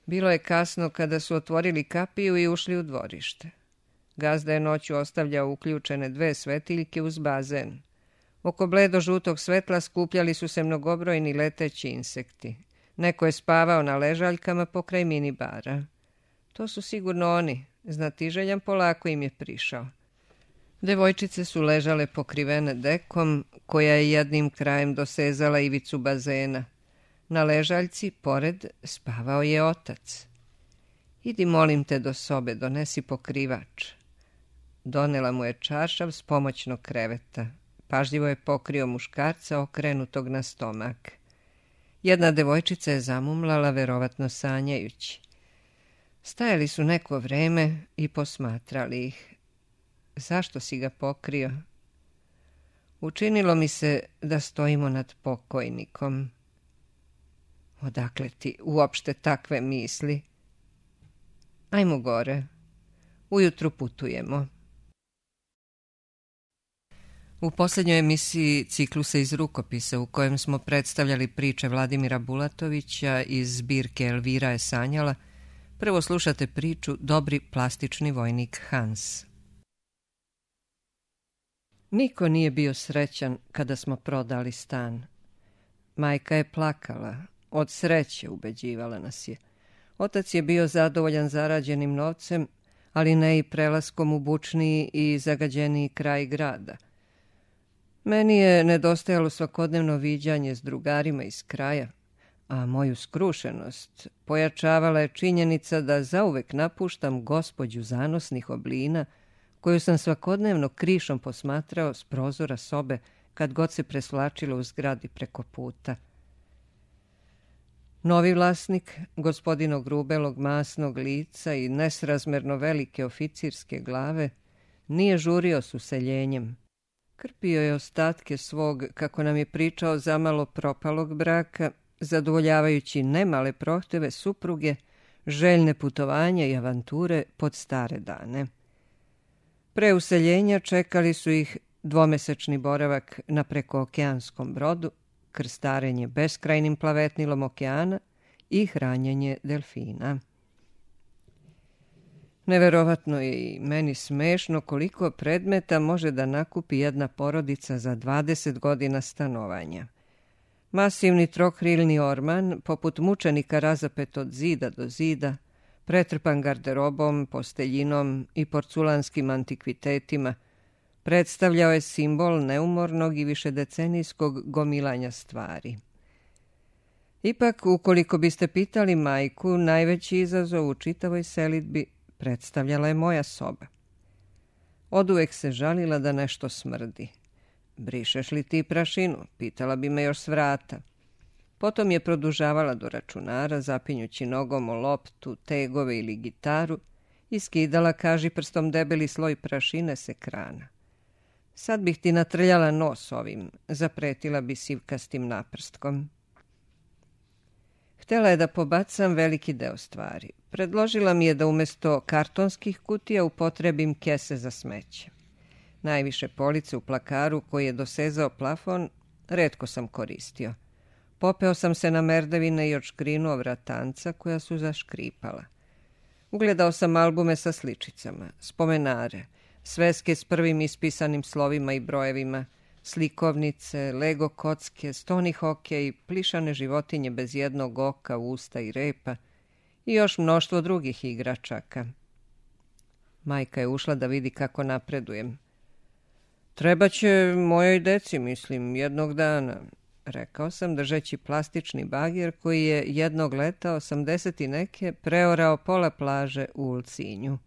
Bilo je kasno kada su otvorili kapiju i ušli u dvorište. Gazda je noću ostavljao uključene 2 svetiljke uz bazen. Oko bledo-žutog svetla skupljali su se mnogobrojni leteći insekti. Neko je spavao na ležaljkama pokraj minibara. To su sigurno oni, znatiželjan polako im je prišao. Devojčice su ležale pokrivene dekom, koja je jednim krajem dosezala ivicu bazena. Na ležaljci, pored, spavao je otac. Idi, molim te, do sobe, donesi pokrivač. Donela mu je čaršav s pomoćnog kreveta. Pažljivo je pokrio muškarca okrenutog na stomak. Jedna devojčica je zamumlala, verovatno sanjajući. Stajali su neko vreme i posmatrali ih. Zašto si ga pokrio? Učinilo mi se da stojimo nad pokojnikom. Odakle ti uopšte takve misli? Ajmo gore. Ujutru putujemo. U posljednjoj emisiji ciklusa iz rukopisa u kojem smo predstavljali priče Vladimira Bulatovića iz zbirke Elvira je sanjala, prvo slušate priču Dobri plastični vojnik Hans. Niko nije bio srećan kada smo prodali stan. Majka je plakala, od sreće ubeđivala nas je. Otac je bio zadovoljan zarađenim novcem, ali ne i prelaskom u bučniji i zagađeniji kraj grada. Meni je nedostajalo svakodnevno viđanje s drugarima iz kraja, a moju skrušenost pojačavala je činjenica da zauvek napuštam gospođu zanosnih oblina, koju sam svakodnevno krišom posmatrao s prozora sobe kad god se presvlačilo u zgradi preko puta. Novi vlasnik, gospodino grubelog masnog lica i nesrazmerno velike oficirske glave, nije žurio s useljenjem. Krpio je ostatke svog, kako nam je pričao, zamalo propalog braka, zadovoljavajući nemale prohteve supruge, željne putovanja i avanture pod stare dane. Pre useljenja čekali su ih 2-mesečni boravak na prekookeanskom brodu, krstarenje beskrajnim plavetnilom okeana i hranjenje delfina. Neverovatno je i meni smešno koliko predmeta može da nakupi jedna porodica za 20 godina stanovanja. Masivni trokrilni orman, poput mučenika razapet od zida do zida, pretrpan garderobom, posteljinom i porculanskim antikvitetima, predstavljao je simbol neumornog i višedecenijskog gomilanja stvari. Ipak, ukoliko biste pitali majku, najveći izazov u čitavoj selidbi predstavljala je moja soba. Oduvek se žalila da nešto smrdi. Brišeš li ti prašinu? Pitala bi me još s vrata. Potom je produžavala do računara, zapinjući nogom o loptu, tegove ili gitaru i skidala kažiprstom debeli sloj prašine s ekrana. Sad bih ti natrljala nos ovim, zapretila bi sivkastim naprstkom. Htela je da pobacam veliki deo stvari. Predložila mi je da umjesto kartonskih kutija upotrebim kese za smeće. Najviše police u plakaru koji je dosezao plafon retko sam koristio. Popeo sam se na merdevine i odškrinuo vratanca koja su zaškripala. Ugledao sam albume sa sličicama, spomenare, sveske s prvim ispisanim slovima i brojevima, slikovnice, lego kocke, stoni hokej, plišane životinje bez jednog oka, usta i repa i još mnoštvo drugih igračaka. Majka je ušla da vidi kako napredujem. Treba će mojoj deci, mislim, jednog dana, rekao sam držeći plastični bagir koji je jednog leta 80 i neke preorao pola plaže u Ulcinju.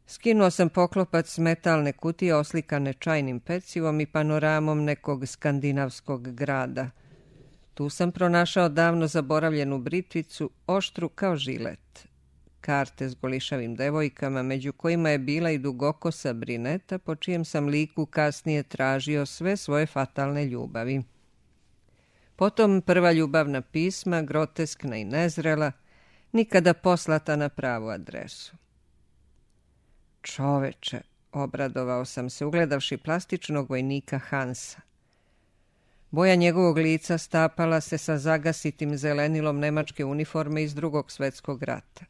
Skinuo sam poklopac metalne kutije oslikane čajnim pecivom i panoramom nekog skandinavskog grada. Tu sam pronašao davno zaboravljenu britvicu, oštru kao žilet. Karte s golišavim devojkama, među kojima je bila i dugokosa brineta, po čijem sam liku kasnije tražio sve svoje fatalne ljubavi. Potom prva ljubavna pisma, groteskna i nezrela, nikada poslata na pravu adresu. Čoveče, obradovao sam se, ugledavši plastičnog vojnika Hansa. Boja njegovog lica stapala se sa zagasitim zelenilom nemačke uniforme iz Drugog svjetskog rata,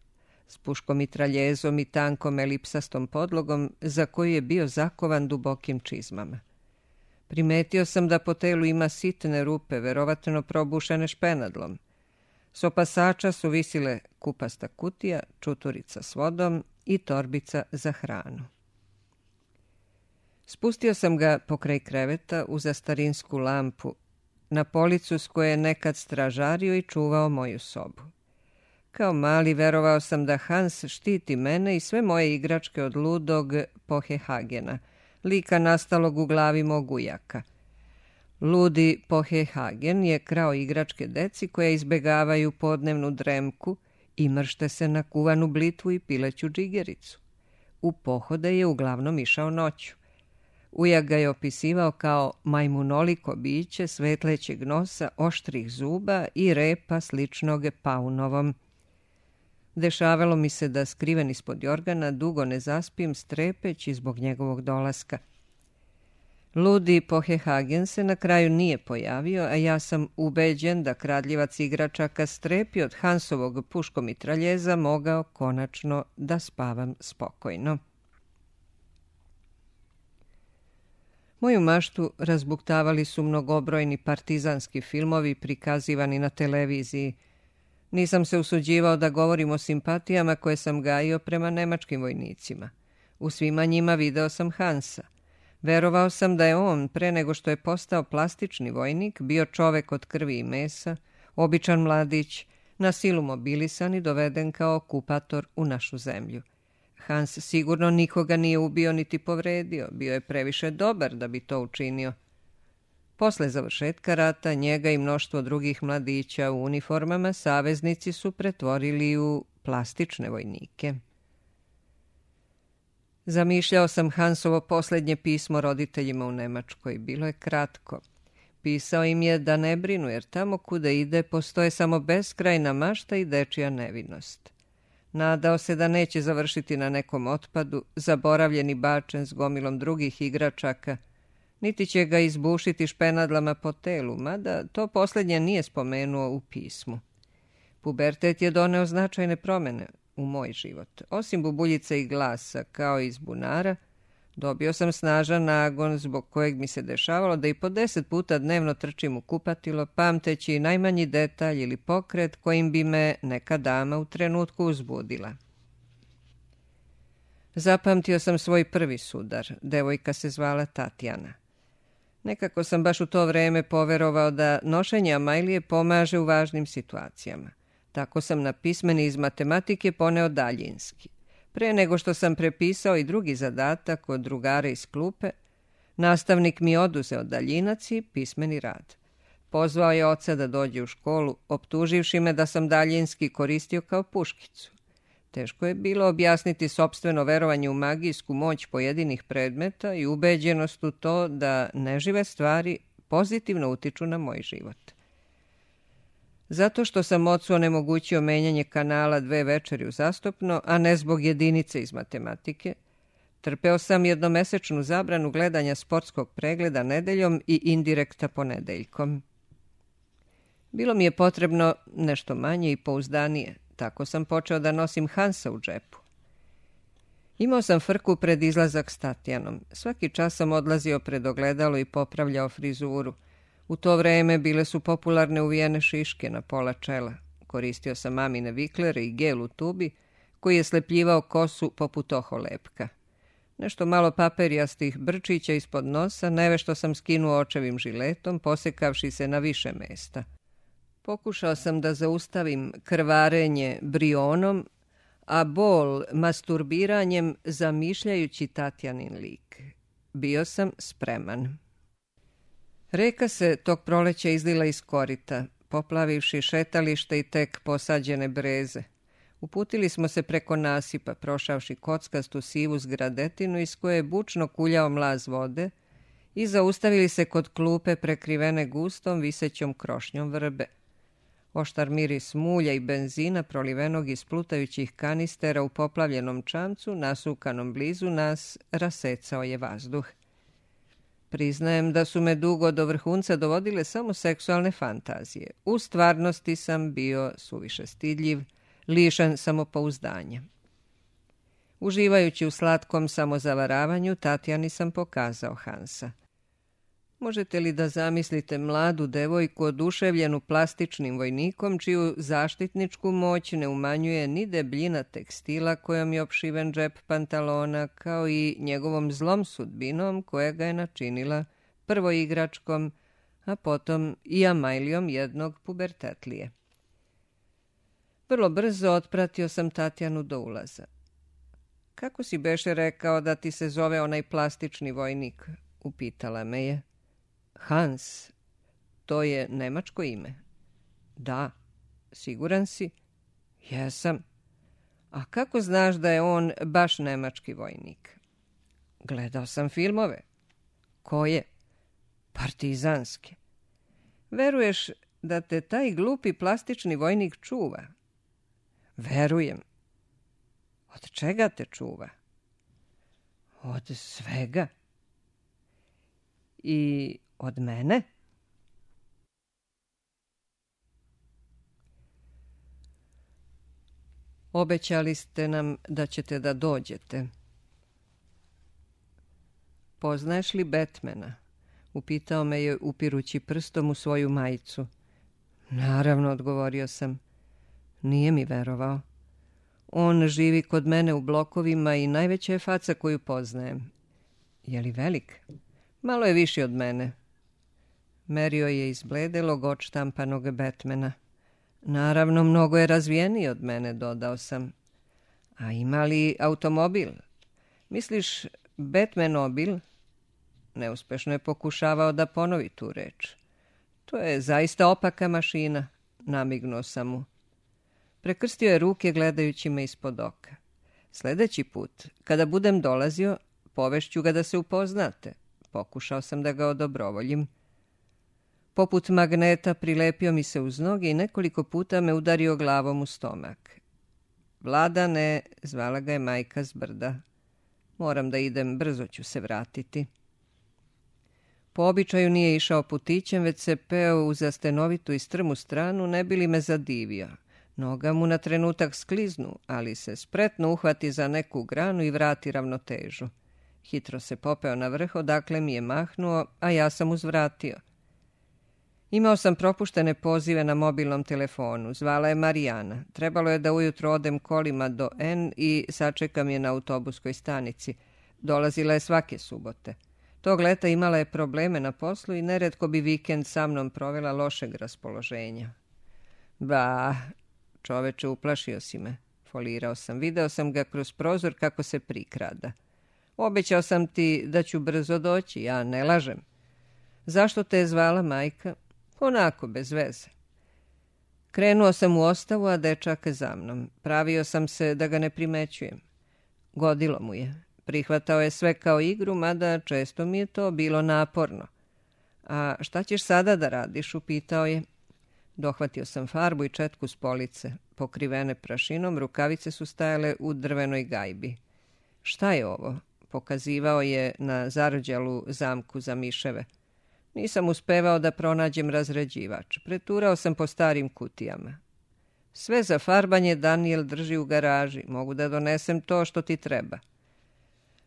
s puškom mitraljezom i tankom elipsastom podlogom za koju je bio zakovan dubokim čizmama. Primetio sam da po telu ima sitne rupe, verovatno probušene špenadlom. S opasača su visile kupasta kutija, čuturica s vodom i torbica za hranu. Spustio sam ga pokraj kreveta uza starinsku lampu, na policu s koje je nekad stražario i čuvao moju sobu. Kao mali verovao sam da Hans štiti mene i sve moje igračke od ludog Pohehagena, lika nastalog u glavi mog ujaka. Ludi Pohehagen je krao igračke deci koja izbegavaju podnevnu dremku i mršte se na kuvanu blitvu i pileću džigericu. U pohode je uglavnom išao noću. Ujak ga je opisivao kao majmunoliko biće svetlećeg nosa, oštrih zuba i repa sličnog paunovom. Dešavalo mi se da skriven ispod jorgana dugo ne zaspim strepeći zbog njegovog dolaska. Ludi Pohehagen se na kraju nije pojavio, a ja sam ubeđen da kradljivac igračaka strepi od Hansovog puškomitraljeza mogao konačno da spavam spokojno. Moju maštu razbuktavali su mnogobrojni partizanski filmovi prikazivani na televiziji. Nisam se usuđivao da govorim o simpatijama koje sam gajio prema nemačkim vojnicima. U svima njima video sam Hansa. Verovao sam da je on, pre nego što je postao plastični vojnik, bio čovek od krvi i mesa, običan mladić, na silu mobilisan i doveden kao okupator u našu zemlju. Hans sigurno nikoga nije ubio niti povredio, bio je previše dobar da bi to učinio. Posle završetka rata, njega i mnoštvo drugih mladića u uniformama saveznici su pretvorili u plastične vojnike. Zamišljao sam Hansovo posljednje pismo roditeljima u Nemačkoj. Bilo je kratko. Pisao im je da ne brinu, jer tamo kuda ide postoje samo beskrajna mašta i dečija nevinost. Nadao se da neće završiti na nekom otpadu, zaboravljen i bačen s gomilom drugih igračaka, niti će ga izbušiti špenadlama po telu, mada to posljednje nije spomenuo u pismu. Pubertet je doneo značajne promjene u moj život. Osim bubuljice i glasa, kao iz bunara, dobio sam snažan nagon zbog kojeg mi se dešavalo da i po 10 puta dnevno trčim u kupatilo, pamteći najmanji detalj ili pokret kojim bi me neka dama u trenutku uzbudila. Zapamtio sam svoj prvi sudar. Devojka se zvala Tatjana. Nekako sam baš u to vreme poverovao da nošenje amajlije pomaže u važnim situacijama. Tako sam na pismeni iz matematike poneo daljinski. Pre nego što sam prepisao i drugi zadatak od drugara iz klupe, nastavnik mi oduzeo daljinac i pismeni rad. Pozvao je oca da dođe u školu, optuživši me da sam daljinski koristio kao puškicu. Teško je bilo objasniti sopstveno verovanje u magijsku moć pojedinih predmeta i ubeđenost u to da nežive stvari pozitivno utiču na moj život. Zato što sam ocu onemogućio menjanje kanala 2 večeri uzastopno, a ne zbog jedinice iz matematike, trpeo sam jednomesečnu zabranu gledanja sportskog pregleda nedeljom i indirekta ponedeljkom. Bilo mi je potrebno nešto manje i pouzdanije. Tako sam počeo da nosim Hansa u džepu. Imao sam frku pred izlazak s Tatjanom. Svaki čas sam odlazio pred ogledalo i popravljao frizuru. U to vreme bile su popularne uvijene šiške na pola čela. Koristio sam mamine viklere i gel u tubi, koji je slepljivao kosu poput oholepka. Nešto malo paperijastih brčića ispod nosa, nevešto sam skinuo očevim žiletom, posekavši se na više mesta. Pokušao sam da zaustavim krvarenje brionom, a bol masturbiranjem, zamišljajući Tatjanin lik. Bio sam spreman. Reka se tog proleća izlila iz korita, poplavivši šetalište i tek posađene breze. Uputili smo se preko nasipa, prošavši kockastu sivu zgradetinu iz koje je bučno kuljao mlaz vode i zaustavili se kod klupe prekrivene gustom visećom krošnjom vrbe. Oštar miris mulja i benzina prolivenog iz plutajućih kanistera u poplavljenom čamcu, nasukanom blizu nas, rasecao je vazduh. Priznajem da su me dugo do vrhunca dovodile samo seksualne fantazije. U stvarnosti sam bio suviše stidljiv, lišen samopouzdanja. Uživajući u slatkom samozavaravanju, Tatjani sam pokazao Hansa. Možete li da zamislite mladu devojku oduševljenu plastičnim vojnikom, čiju zaštitničku moć ne umanjuje ni debljina tekstila kojom je opšiven džep pantalona, kao i njegovom zlom sudbinom koja ga je načinila prvo igračkom, a potom i amajlijom jednog pubertetlije. Vrlo brzo otpratio sam Tatjanu do ulaza. Kako si beše rekao da ti se zove onaj plastični vojnik? Upitala me je. Hans, to je nemačko ime. Da, siguran si? Jesam. A kako znaš da je on baš nemački vojnik? Gledao sam filmove. Koje? Partizanske. Veruješ da te taj glupi plastični vojnik čuva? Verujem. Od čega te čuva? Od svega. I od mene? Obećali ste nam da ćete da dođete. Poznaješ li Batmana? Upitao me je upirući prstom u svoju majicu. Naravno, odgovorio sam. Nije mi verovao. On živi kod mene u blokovima i najveća je faca koju poznajem. Je li velik? Malo je viši od mene. Merio je izbledelog odštampanog Batmana. Naravno, mnogo je razvijeniji od mene, dodao sam. A ima li automobil? Misliš Batmanobil? Neuspešno je pokušavao da ponovi tu reč. To je zaista opaka mašina, namignuo sam mu. Prekrstio je ruke gledajući me ispod oka. Sljedeći put, kada budem dolazio, povešću ga da se upoznate. Pokušao sam da ga odobrovoljim. Poput magneta prilepio mi se uz noge i nekoliko puta me udario glavom u stomak. Vladane, zvala ga je majka s brda. Moram da idem, brzo ću se vratiti. Po običaju nije išao putićem, već se peo uz stenovitu i strmu stranu, ne bi li me zadivio. Noga mu na trenutak skliznu, ali se spretno uhvati za neku granu i vrati ravnotežu. Hitro se popeo na vrh, odakle mi je mahnuo, a ja sam uzvratio. Imao sam propuštene pozive na mobilnom telefonu. Zvala je Marijana. Trebalo je da ujutro odem kolima do N i sačekam je na autobuskoj stanici. Dolazila je svake subote. Tog leta imala je probleme na poslu i neretko bi vikend sa mnom provela lošeg raspoloženja. Ba, čoveče, uplašio si me. Folirao sam. Video sam ga kroz prozor kako se prikrada. Obećao sam ti da ću brzo doći, ja ne lažem. Zašto te je zvala majka? Onako, bez veze. Krenuo sam u ostavu, a dečak za mnom. Pravio sam se da ga ne primećujem. Godilo mu je. Prihvatao je sve kao igru, mada često mi je to bilo naporno. A šta ćeš sada da radiš, upitao je. Dohvatio sam farbu i četku s police. Pokrivene prašinom, rukavice su stajale u drvenoj gajbi. Šta je ovo? Pokazivao je na zarđalu zamku za miševe. Nisam uspevao da pronađem razređivač. Preturao sam po starim kutijama. Sve za farbanje Daniel drži u garaži. Mogu da donesem to što ti treba.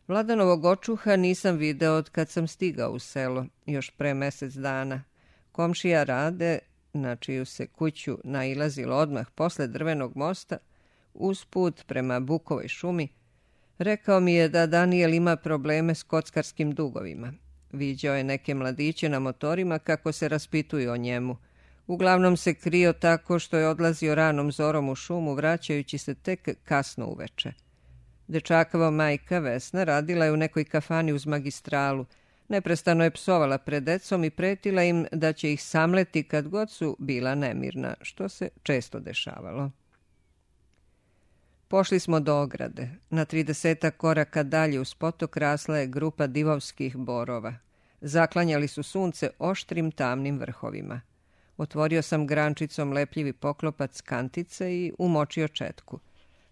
Vladanovog očuha nisam video od kad sam stigao u selo, još pre mjesec dana. Komšija Rade, na čiju se kuću nailazilo odmah posle drvenog mosta, usput prema Bukovoj šumi, rekao mi je da Daniel ima probleme s kockarskim dugovima. Viđao je neke mladiće na motorima kako se raspituju o njemu. Uglavnom se krio tako što je odlazio ranom zorom u šumu, vraćajući se tek kasno uveče. Dečakova majka Vesna radila je u nekoj kafani uz magistralu. Neprestano je psovala pred decom i pretila im da će ih samleti kad god su bila nemirna, što se često dešavalo. Pošli smo do ograde. Na 30 koraka dalje uz potok rasla je grupa divovskih borova. Zaklanjali su sunce oštrim tamnim vrhovima. Otvorio sam grančicom lepljivi poklopac kantice i umočio četku.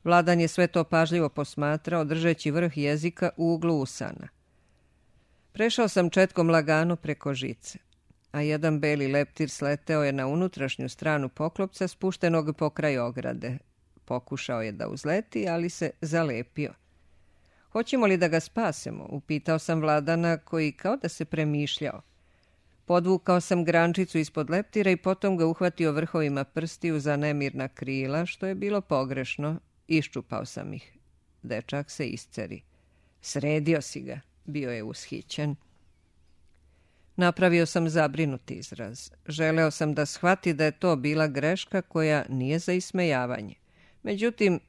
Vladan je sve to pažljivo posmatrao, držeći vrh jezika u uglu usana. Prešao sam četkom lagano preko žice, a jedan beli leptir sleteo je na unutrašnju stranu poklopca spuštenog pokraj ograde. Pokušao je da uzleti, ali se zalepio. Hoćemo li da ga spasemo? Upitao sam Vladana, koji kao da se premišljao. Podvukao sam grančicu ispod leptira i potom ga uhvatio vrhovima prstiju za nemirna krila, što je bilo pogrešno. Iščupao sam ih. Dečak se isceri. Sredio si ga, bio je ushićen. Napravio sam zabrinuti izraz. Želeo sam da shvati da je to bila greška koja nije za ismejavanje. Međutim,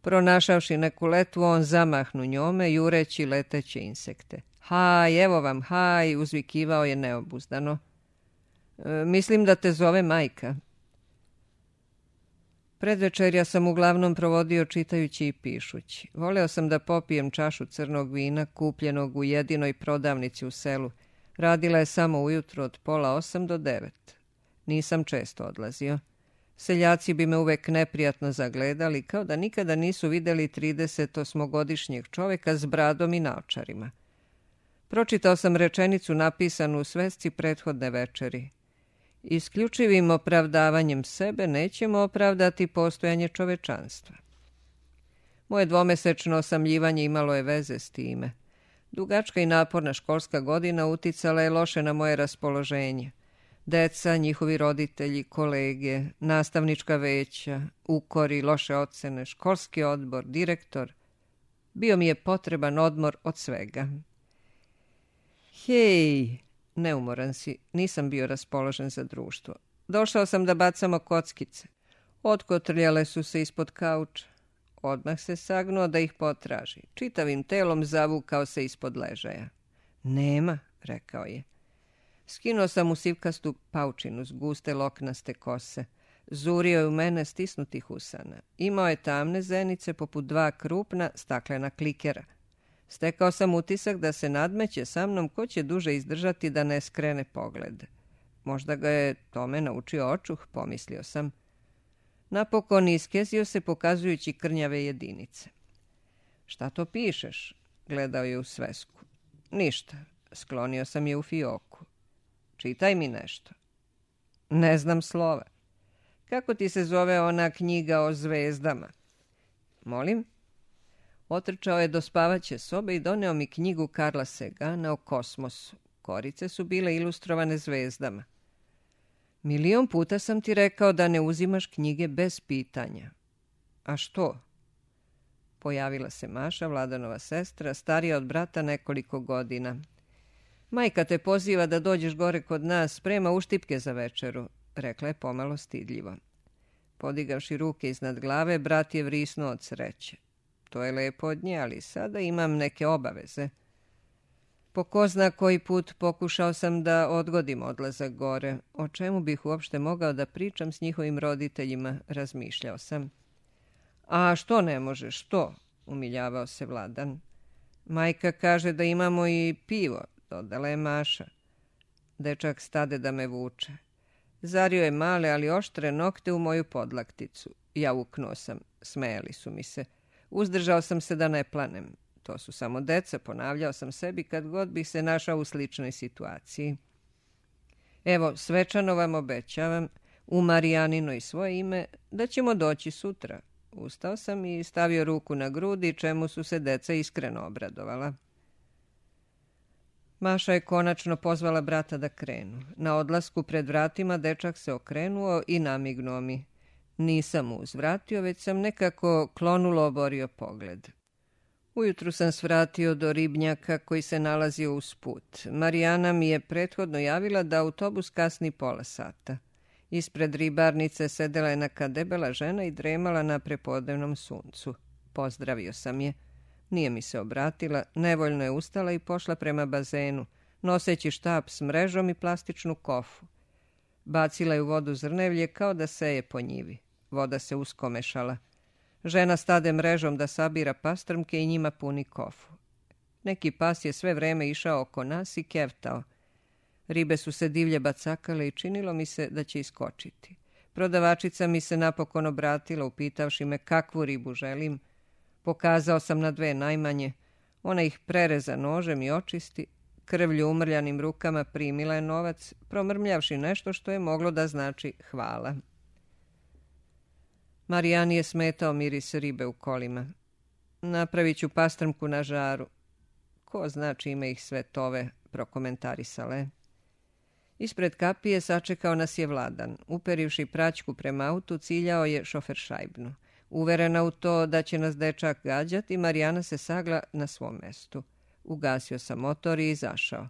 pronašavši neku letvu, on zamahnu njome, jureći leteće insekte. Haj, evo vam, haj, uzvikivao je neobuzdano. Mislim da te zove majka. Predvečerja sam uglavnom provodio čitajući i pišući. Voleo sam da popijem čašu crnog vina, kupljenog u jedinoj prodavnici u selu. Radila je samo ujutro od 7:30 do 9. Nisam često odlazio. Seljaci bi me uvek neprijatno zagledali, kao da nikada nisu videli 38-godišnjeg čoveka s bradom i naočarima. Pročitao sam rečenicu napisanu u svesci prethodne večeri. Isključivim opravdavanjem sebe nećemo opravdati postojanje čovečanstva. Moje dvomesečno osamljivanje imalo je veze s time. Dugačka i naporna školska godina uticala je loše na moje raspoloženje. Deca, njihovi roditelji, kolege, nastavnička veća, ukori, loše ocene, školski odbor, direktor. Bio mi je potreban odmor od svega. Hej, neumoran si, nisam bio raspoložen za društvo. Došao sam da bacamo kockice. Otkotrljale su se ispod kauča. Odmah se sagnuo da ih potraži. Čitavim telom zavukao se ispod ležaja. Nema, rekao je. Skinuo sam mu sivkastu paučinu s guste loknaste kose. Zurio je u mene stisnutih usana. Imao je tamne zenice poput 2 krupna staklena klikera. Stekao sam utisak da se nadmeće sa mnom ko će duže izdržati da ne skrene pogled. Možda ga je tome naučio očuh, pomislio sam. Napokon iskezio se pokazujući krnjave jedinice. Šta to pišeš? Gledao je u svesku. Ništa, sklonio sam je u fioku. Čitaj mi nešto. Ne znam slova. Kako ti se zove ona knjiga o zvezdama? Molim? Otrčao je do spavaće sobe i doneo mi knjigu Karla Sagana o kosmosu. Korice su bile ilustrovane zvezdama. 1.000.000 puta sam ti rekao da ne uzimaš knjige bez pitanja. A što? Pojavila se Maša, Vladanova sestra, starija od brata nekoliko godina. Majka te poziva da dođeš gore kod nas, sprema uštipke za večeru, rekla je pomalo stidljivo. Podigavši ruke iznad glave, brat je vrisnuo od sreće. To je lepo od nje, ali sada imam neke obaveze. Po ko zna koji put pokušao sam da odgodim odlazak gore. O čemu bih uopšte mogao da pričam s njihovim roditeljima, razmišljao sam. A što ne možeš, što? Umiljavao se Vladan. Majka kaže da imamo i pivo, dodala je Maša. Dečak stade da me vuče. Zario je male, ali oštre nokte u moju podlakticu. Ja uknuo sam, smejali su mi se. Uzdržao sam se da ne planem. To su samo deca, ponavljao sam sebi kad god bih se našao u sličnoj situaciji. Evo, svečano vam obećavam, u Marijanino i svoje ime, da ćemo doći sutra. Ustao sam i stavio ruku na grudi, čemu su se deca iskreno obradovala. Maša je konačno pozvala brata da krenu. Na odlasku pred vratima dečak se okrenuo i namignuo mi. Nisam mu uzvratio, već sam nekako klonulo oborio pogled. Ujutru sam svratio do ribnjaka koji se nalazio uz put. Marijana mi je prethodno javila da autobus kasni pola sata. Ispred ribarnice sedela je neka debela žena i dremala na prepodnevnom suncu. Pozdravio sam je. Nije mi se obratila, nevoljno je ustala i pošla prema bazenu, noseći štap s mrežom i plastičnu kofu. Bacila je u vodu zrnevlje kao da seje po njivi. Voda se uskomešala. Žena stade mrežom da sabira pastrmke i njima puni kofu. Neki pas je sve vreme išao oko nas i kevtao. Ribe su se divlje bacakale i činilo mi se da će iskočiti. Prodavačica mi se napokon obratila upitavši me kakvu ribu želim. Pokazao sam na dve najmanje. Ona ih prereza nožem i očisti. Krvlju umrljanim rukama primila je novac, promrmljavši nešto što je moglo da znači hvala. Marijani je smetao miris ribe u kolima. Napravit ću pastrmku na žaru. Ko zna čime ih sve tove, prokomentarisale. Ispred kapije sačekao nas je Vladan. Uperivši praćku prema autu, ciljao je šoferšajbnu. Uverena u to da će nas dečak gađati, Marijana se sagla na svom mestu. Ugasio sam motor i izašao.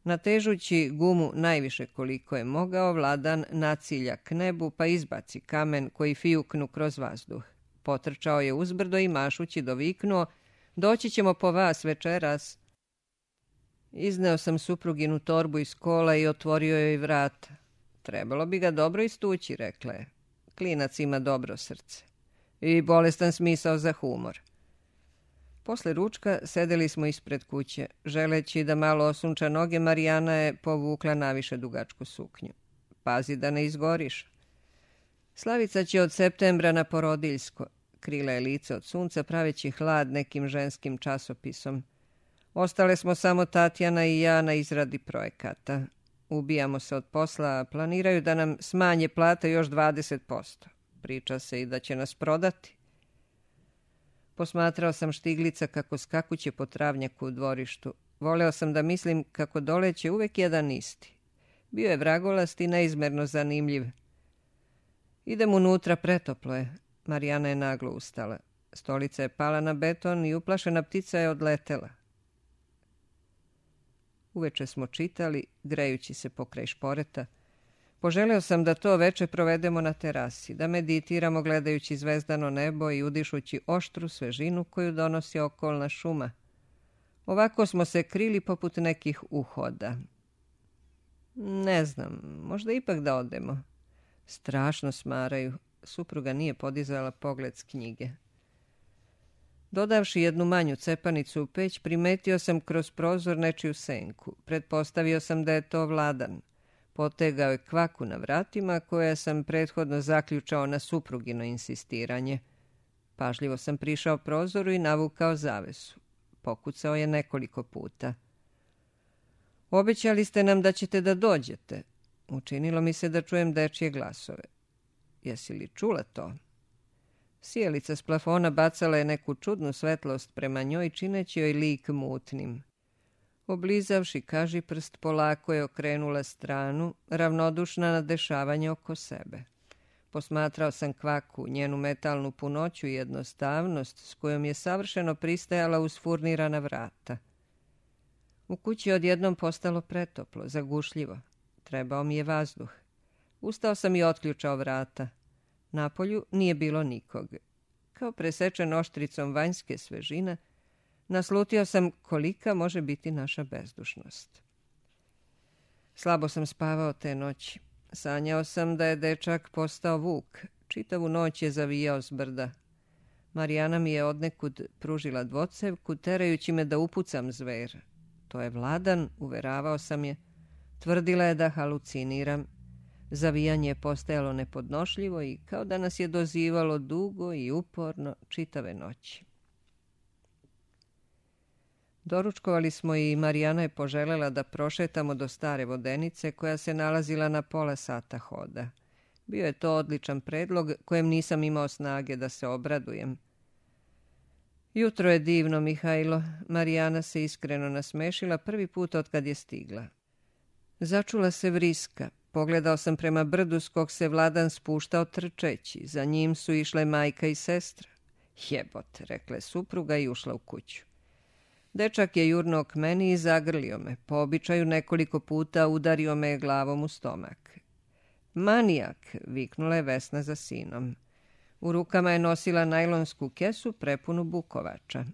Natežući gumu najviše koliko je mogao, Vladan nacilja k nebu pa izbaci kamen koji fijuknu kroz vazduh. Potrčao je uzbrdo i mašući doviknuo: "Doći ćemo po vas večeras." Izneo sam supruginu torbu iz kola i otvorio joj vrata. "Trebalo bi ga dobro istući," rekla je. "Klinac ima dobro srce. I bolestan smisao za humor." Posle ručka sedeli smo ispred kuće. Želeći da malo osunča noge, Marijana je povukla naviše dugačku suknju. "Pazi da ne izgoriš." Slavica će od septembra na porodiljsko. Krila je lice od sunca praveći hlad nekim ženskim časopisom. Ostale smo samo Tatjana i ja na izradi projekata. Ubijamo se od posla, a planiraju da nam smanje plate još 20%. Priča se i da će nas prodati. Posmatrao sam Štiglica kako skakuće po travnjaku u dvorištu. Voleo sam da mislim kako doleće uvek jedan isti. Bio je vragolast i neizmerno zanimljiv. "Idem unutra, pretoplo je." Marijana je naglo ustala. Stolica je pala na beton i uplašena ptica je odletela. Uveče smo čitali, grejući se pokraj šporeta. Poželeo sam da to veče provedemo na terasi, da meditiramo gledajući zvezdano nebo i udišući oštru svežinu koju donosi okolna šuma. Ovako smo se krili poput nekih uhoda. Ne znam, možda ipak da odemo. Strašno smaraju. Supruga nije podizala pogled s knjige. Dodavši jednu manju cepanicu u peć, primetio sam kroz prozor nečiju senku. Pretpostavio sam da je to Vladan. Potegao je kvaku na vratima koja sam prethodno zaključao na suprugino insistiranje. Pažljivo sam prišao prozoru i navukao zavesu. Pokucao je nekoliko puta. "Obećali ste nam da ćete da dođete." Učinilo mi se da čujem dečje glasove. "Jesi li čula to?" Sijelica s plafona bacala je neku čudnu svetlost prema njoj, čineći joj lik mutnim. Oblizavši kažiprst, polako je okrenula stranu, ravnodušna na dešavanje oko sebe. Posmatrao sam kvaku, njenu metalnu punoću i jednostavnost s kojom je savršeno pristajala uz furnirana vrata. U kući je odjednom postalo pretoplo, zagušljivo. Trebao mi je vazduh. Ustao sam i otključao vrata. Napolju nije bilo nikog. Kao presečen oštricom vanjske svežine, naslutio sam kolika može biti naša bezdušnost. Slabo sam spavao te noći. Sanjao sam da je dečak postao vuk. Čitavu noć je zavijao s brda. Marijana mi je odnekud pružila dvocevku, terajući me da upucam zver. To je Vladan, uveravao sam je. Tvrdila je da haluciniram. Zavijanje je postajalo nepodnošljivo i kao da nas je dozivalo dugo i uporno čitave noći. Doručkovali smo i Marijana je poželjela da prošetamo do stare vodenice koja se nalazila na pola sata hoda. Bio je to odličan predlog kojem nisam imao snage da se obradujem. Jutro je divno, Mihajlo. Marijana se iskreno nasmešila prvi put otkad je stigla. Začula se vriska. Pogledao sam prema brdu s kog se Vladan spuštao trčeći. Za njim su išle majka i sestra. Jebote, rekla je supruga i ušla u kuću. Dečak je jurnuo k meni i zagrlio me. Po običaju nekoliko puta udario me glavom u stomak. Manijak, viknula je Vesna za sinom. U rukama je nosila najlonsku kesu prepunu bukovača.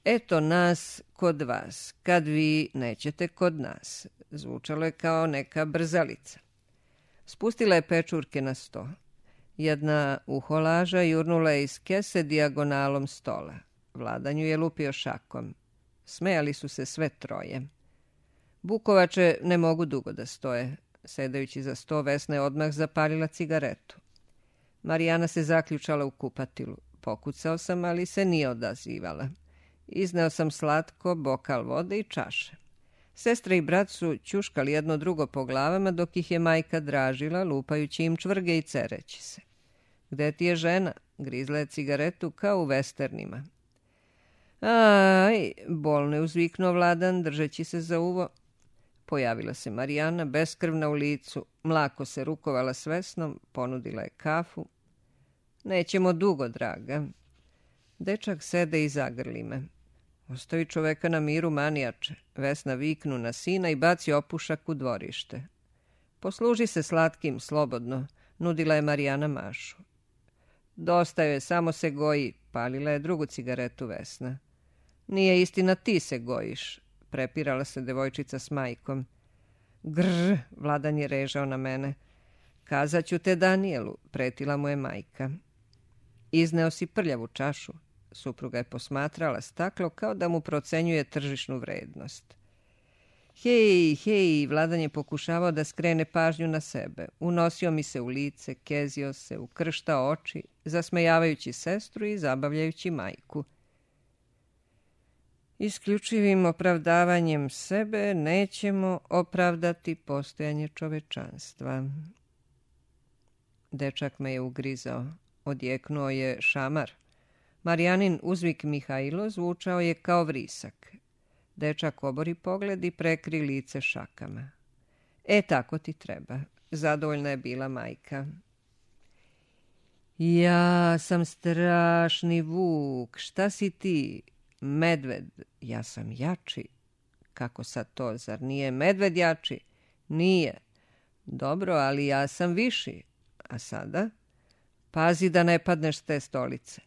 Eto nas kod vas, kad vi nećete kod nas. Zvučalo je kao neka brzalica. Spustila je pečurke na sto. Jedna uholaža jurnula je iz kese dijagonalom stola. Vladanju je lupio šakom. Smejali su se sve troje. Bukovače ne mogu dugo da stoje. Sedajući za sto, Vesna je odmah zapalila cigaretu. Marijana se zaključala u kupatilu. Pokucao sam, ali se nije odazivala. Izneo sam slatko, bokal vode i čaše. Sestra i brat su ćuškali jedno drugo po glavama, dok ih je majka dražila, lupajući im čvrge i cereći se. Gde ti je žena? Grizla je cigaretu kao u vesternima. Aj, bolno je uzviknuo Vladan, držeći se za uvo. Pojavila se Marijana, beskrvna u licu, mlako se rukovala s Vesnom, ponudila je kafu. Nećemo dugo, draga. Dečak sede i zagrli me. Ostavi čoveka na miru, manijače. Vesna viknu na sina i baci opušak u dvorište. Posluži se slatkim, slobodno, nudila je Marijana Mašu. Dosta joj, samo se goji, palila je drugu cigaretu Vesna. Nije istina, ti se gojiš, prepirala se devojčica s majkom. Grr, Vladan je režao na mene. Kazaću te Danijelu, pretila mu je majka. Izneo si prljavu čašu. Supruga je posmatrala staklo kao da mu procenjuje tržišnu vrednost. Hej, hej, Vladan je pokušavao da skrene pažnju na sebe. Unosio mi se u lice, kezio se, ukrštao oči, zasmejavajući sestru i zabavljajući majku. Isključivim opravdavanjem sebe nećemo opravdati postojanje čovečanstva. Dečak me je ugrizao. Odjeknuo je šamar. Marijanin uzvik Mihajlo zvučao je kao vrisak. Dečak obori pogled i prekri lice šakama. Tako ti treba. Zadovoljna je bila majka. Ja sam strašni vuk. Šta si ti? Medved. Ja sam jači. Kako sad to? Zar nije medved jači? Nije. Dobro, ali ja sam viši. A sada? Pazi da ne padneš s te stolice.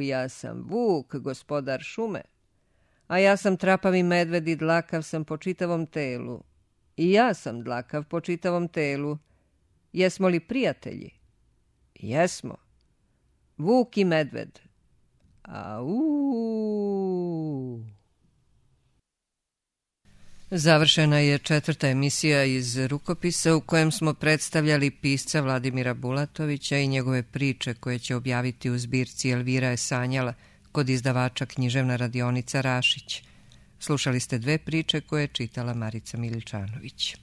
Ja sam vuk, gospodar šume. A ja sam trapavi medved i dlakav sam po čitavom telu. I ja sam dlakav po čitavom telu. Jesmo li prijatelji? Jesmo. Vuk i medved. Završena je 4. emisija iz Rukopisa u kojem smo predstavljali pisca Vladimira Bulatovića i njegove priče koje će objaviti u zbirci Elvira je sanjala kod izdavača Književna radionica Rašić. Slušali ste 2 priče koje je čitala Marica Miličanović.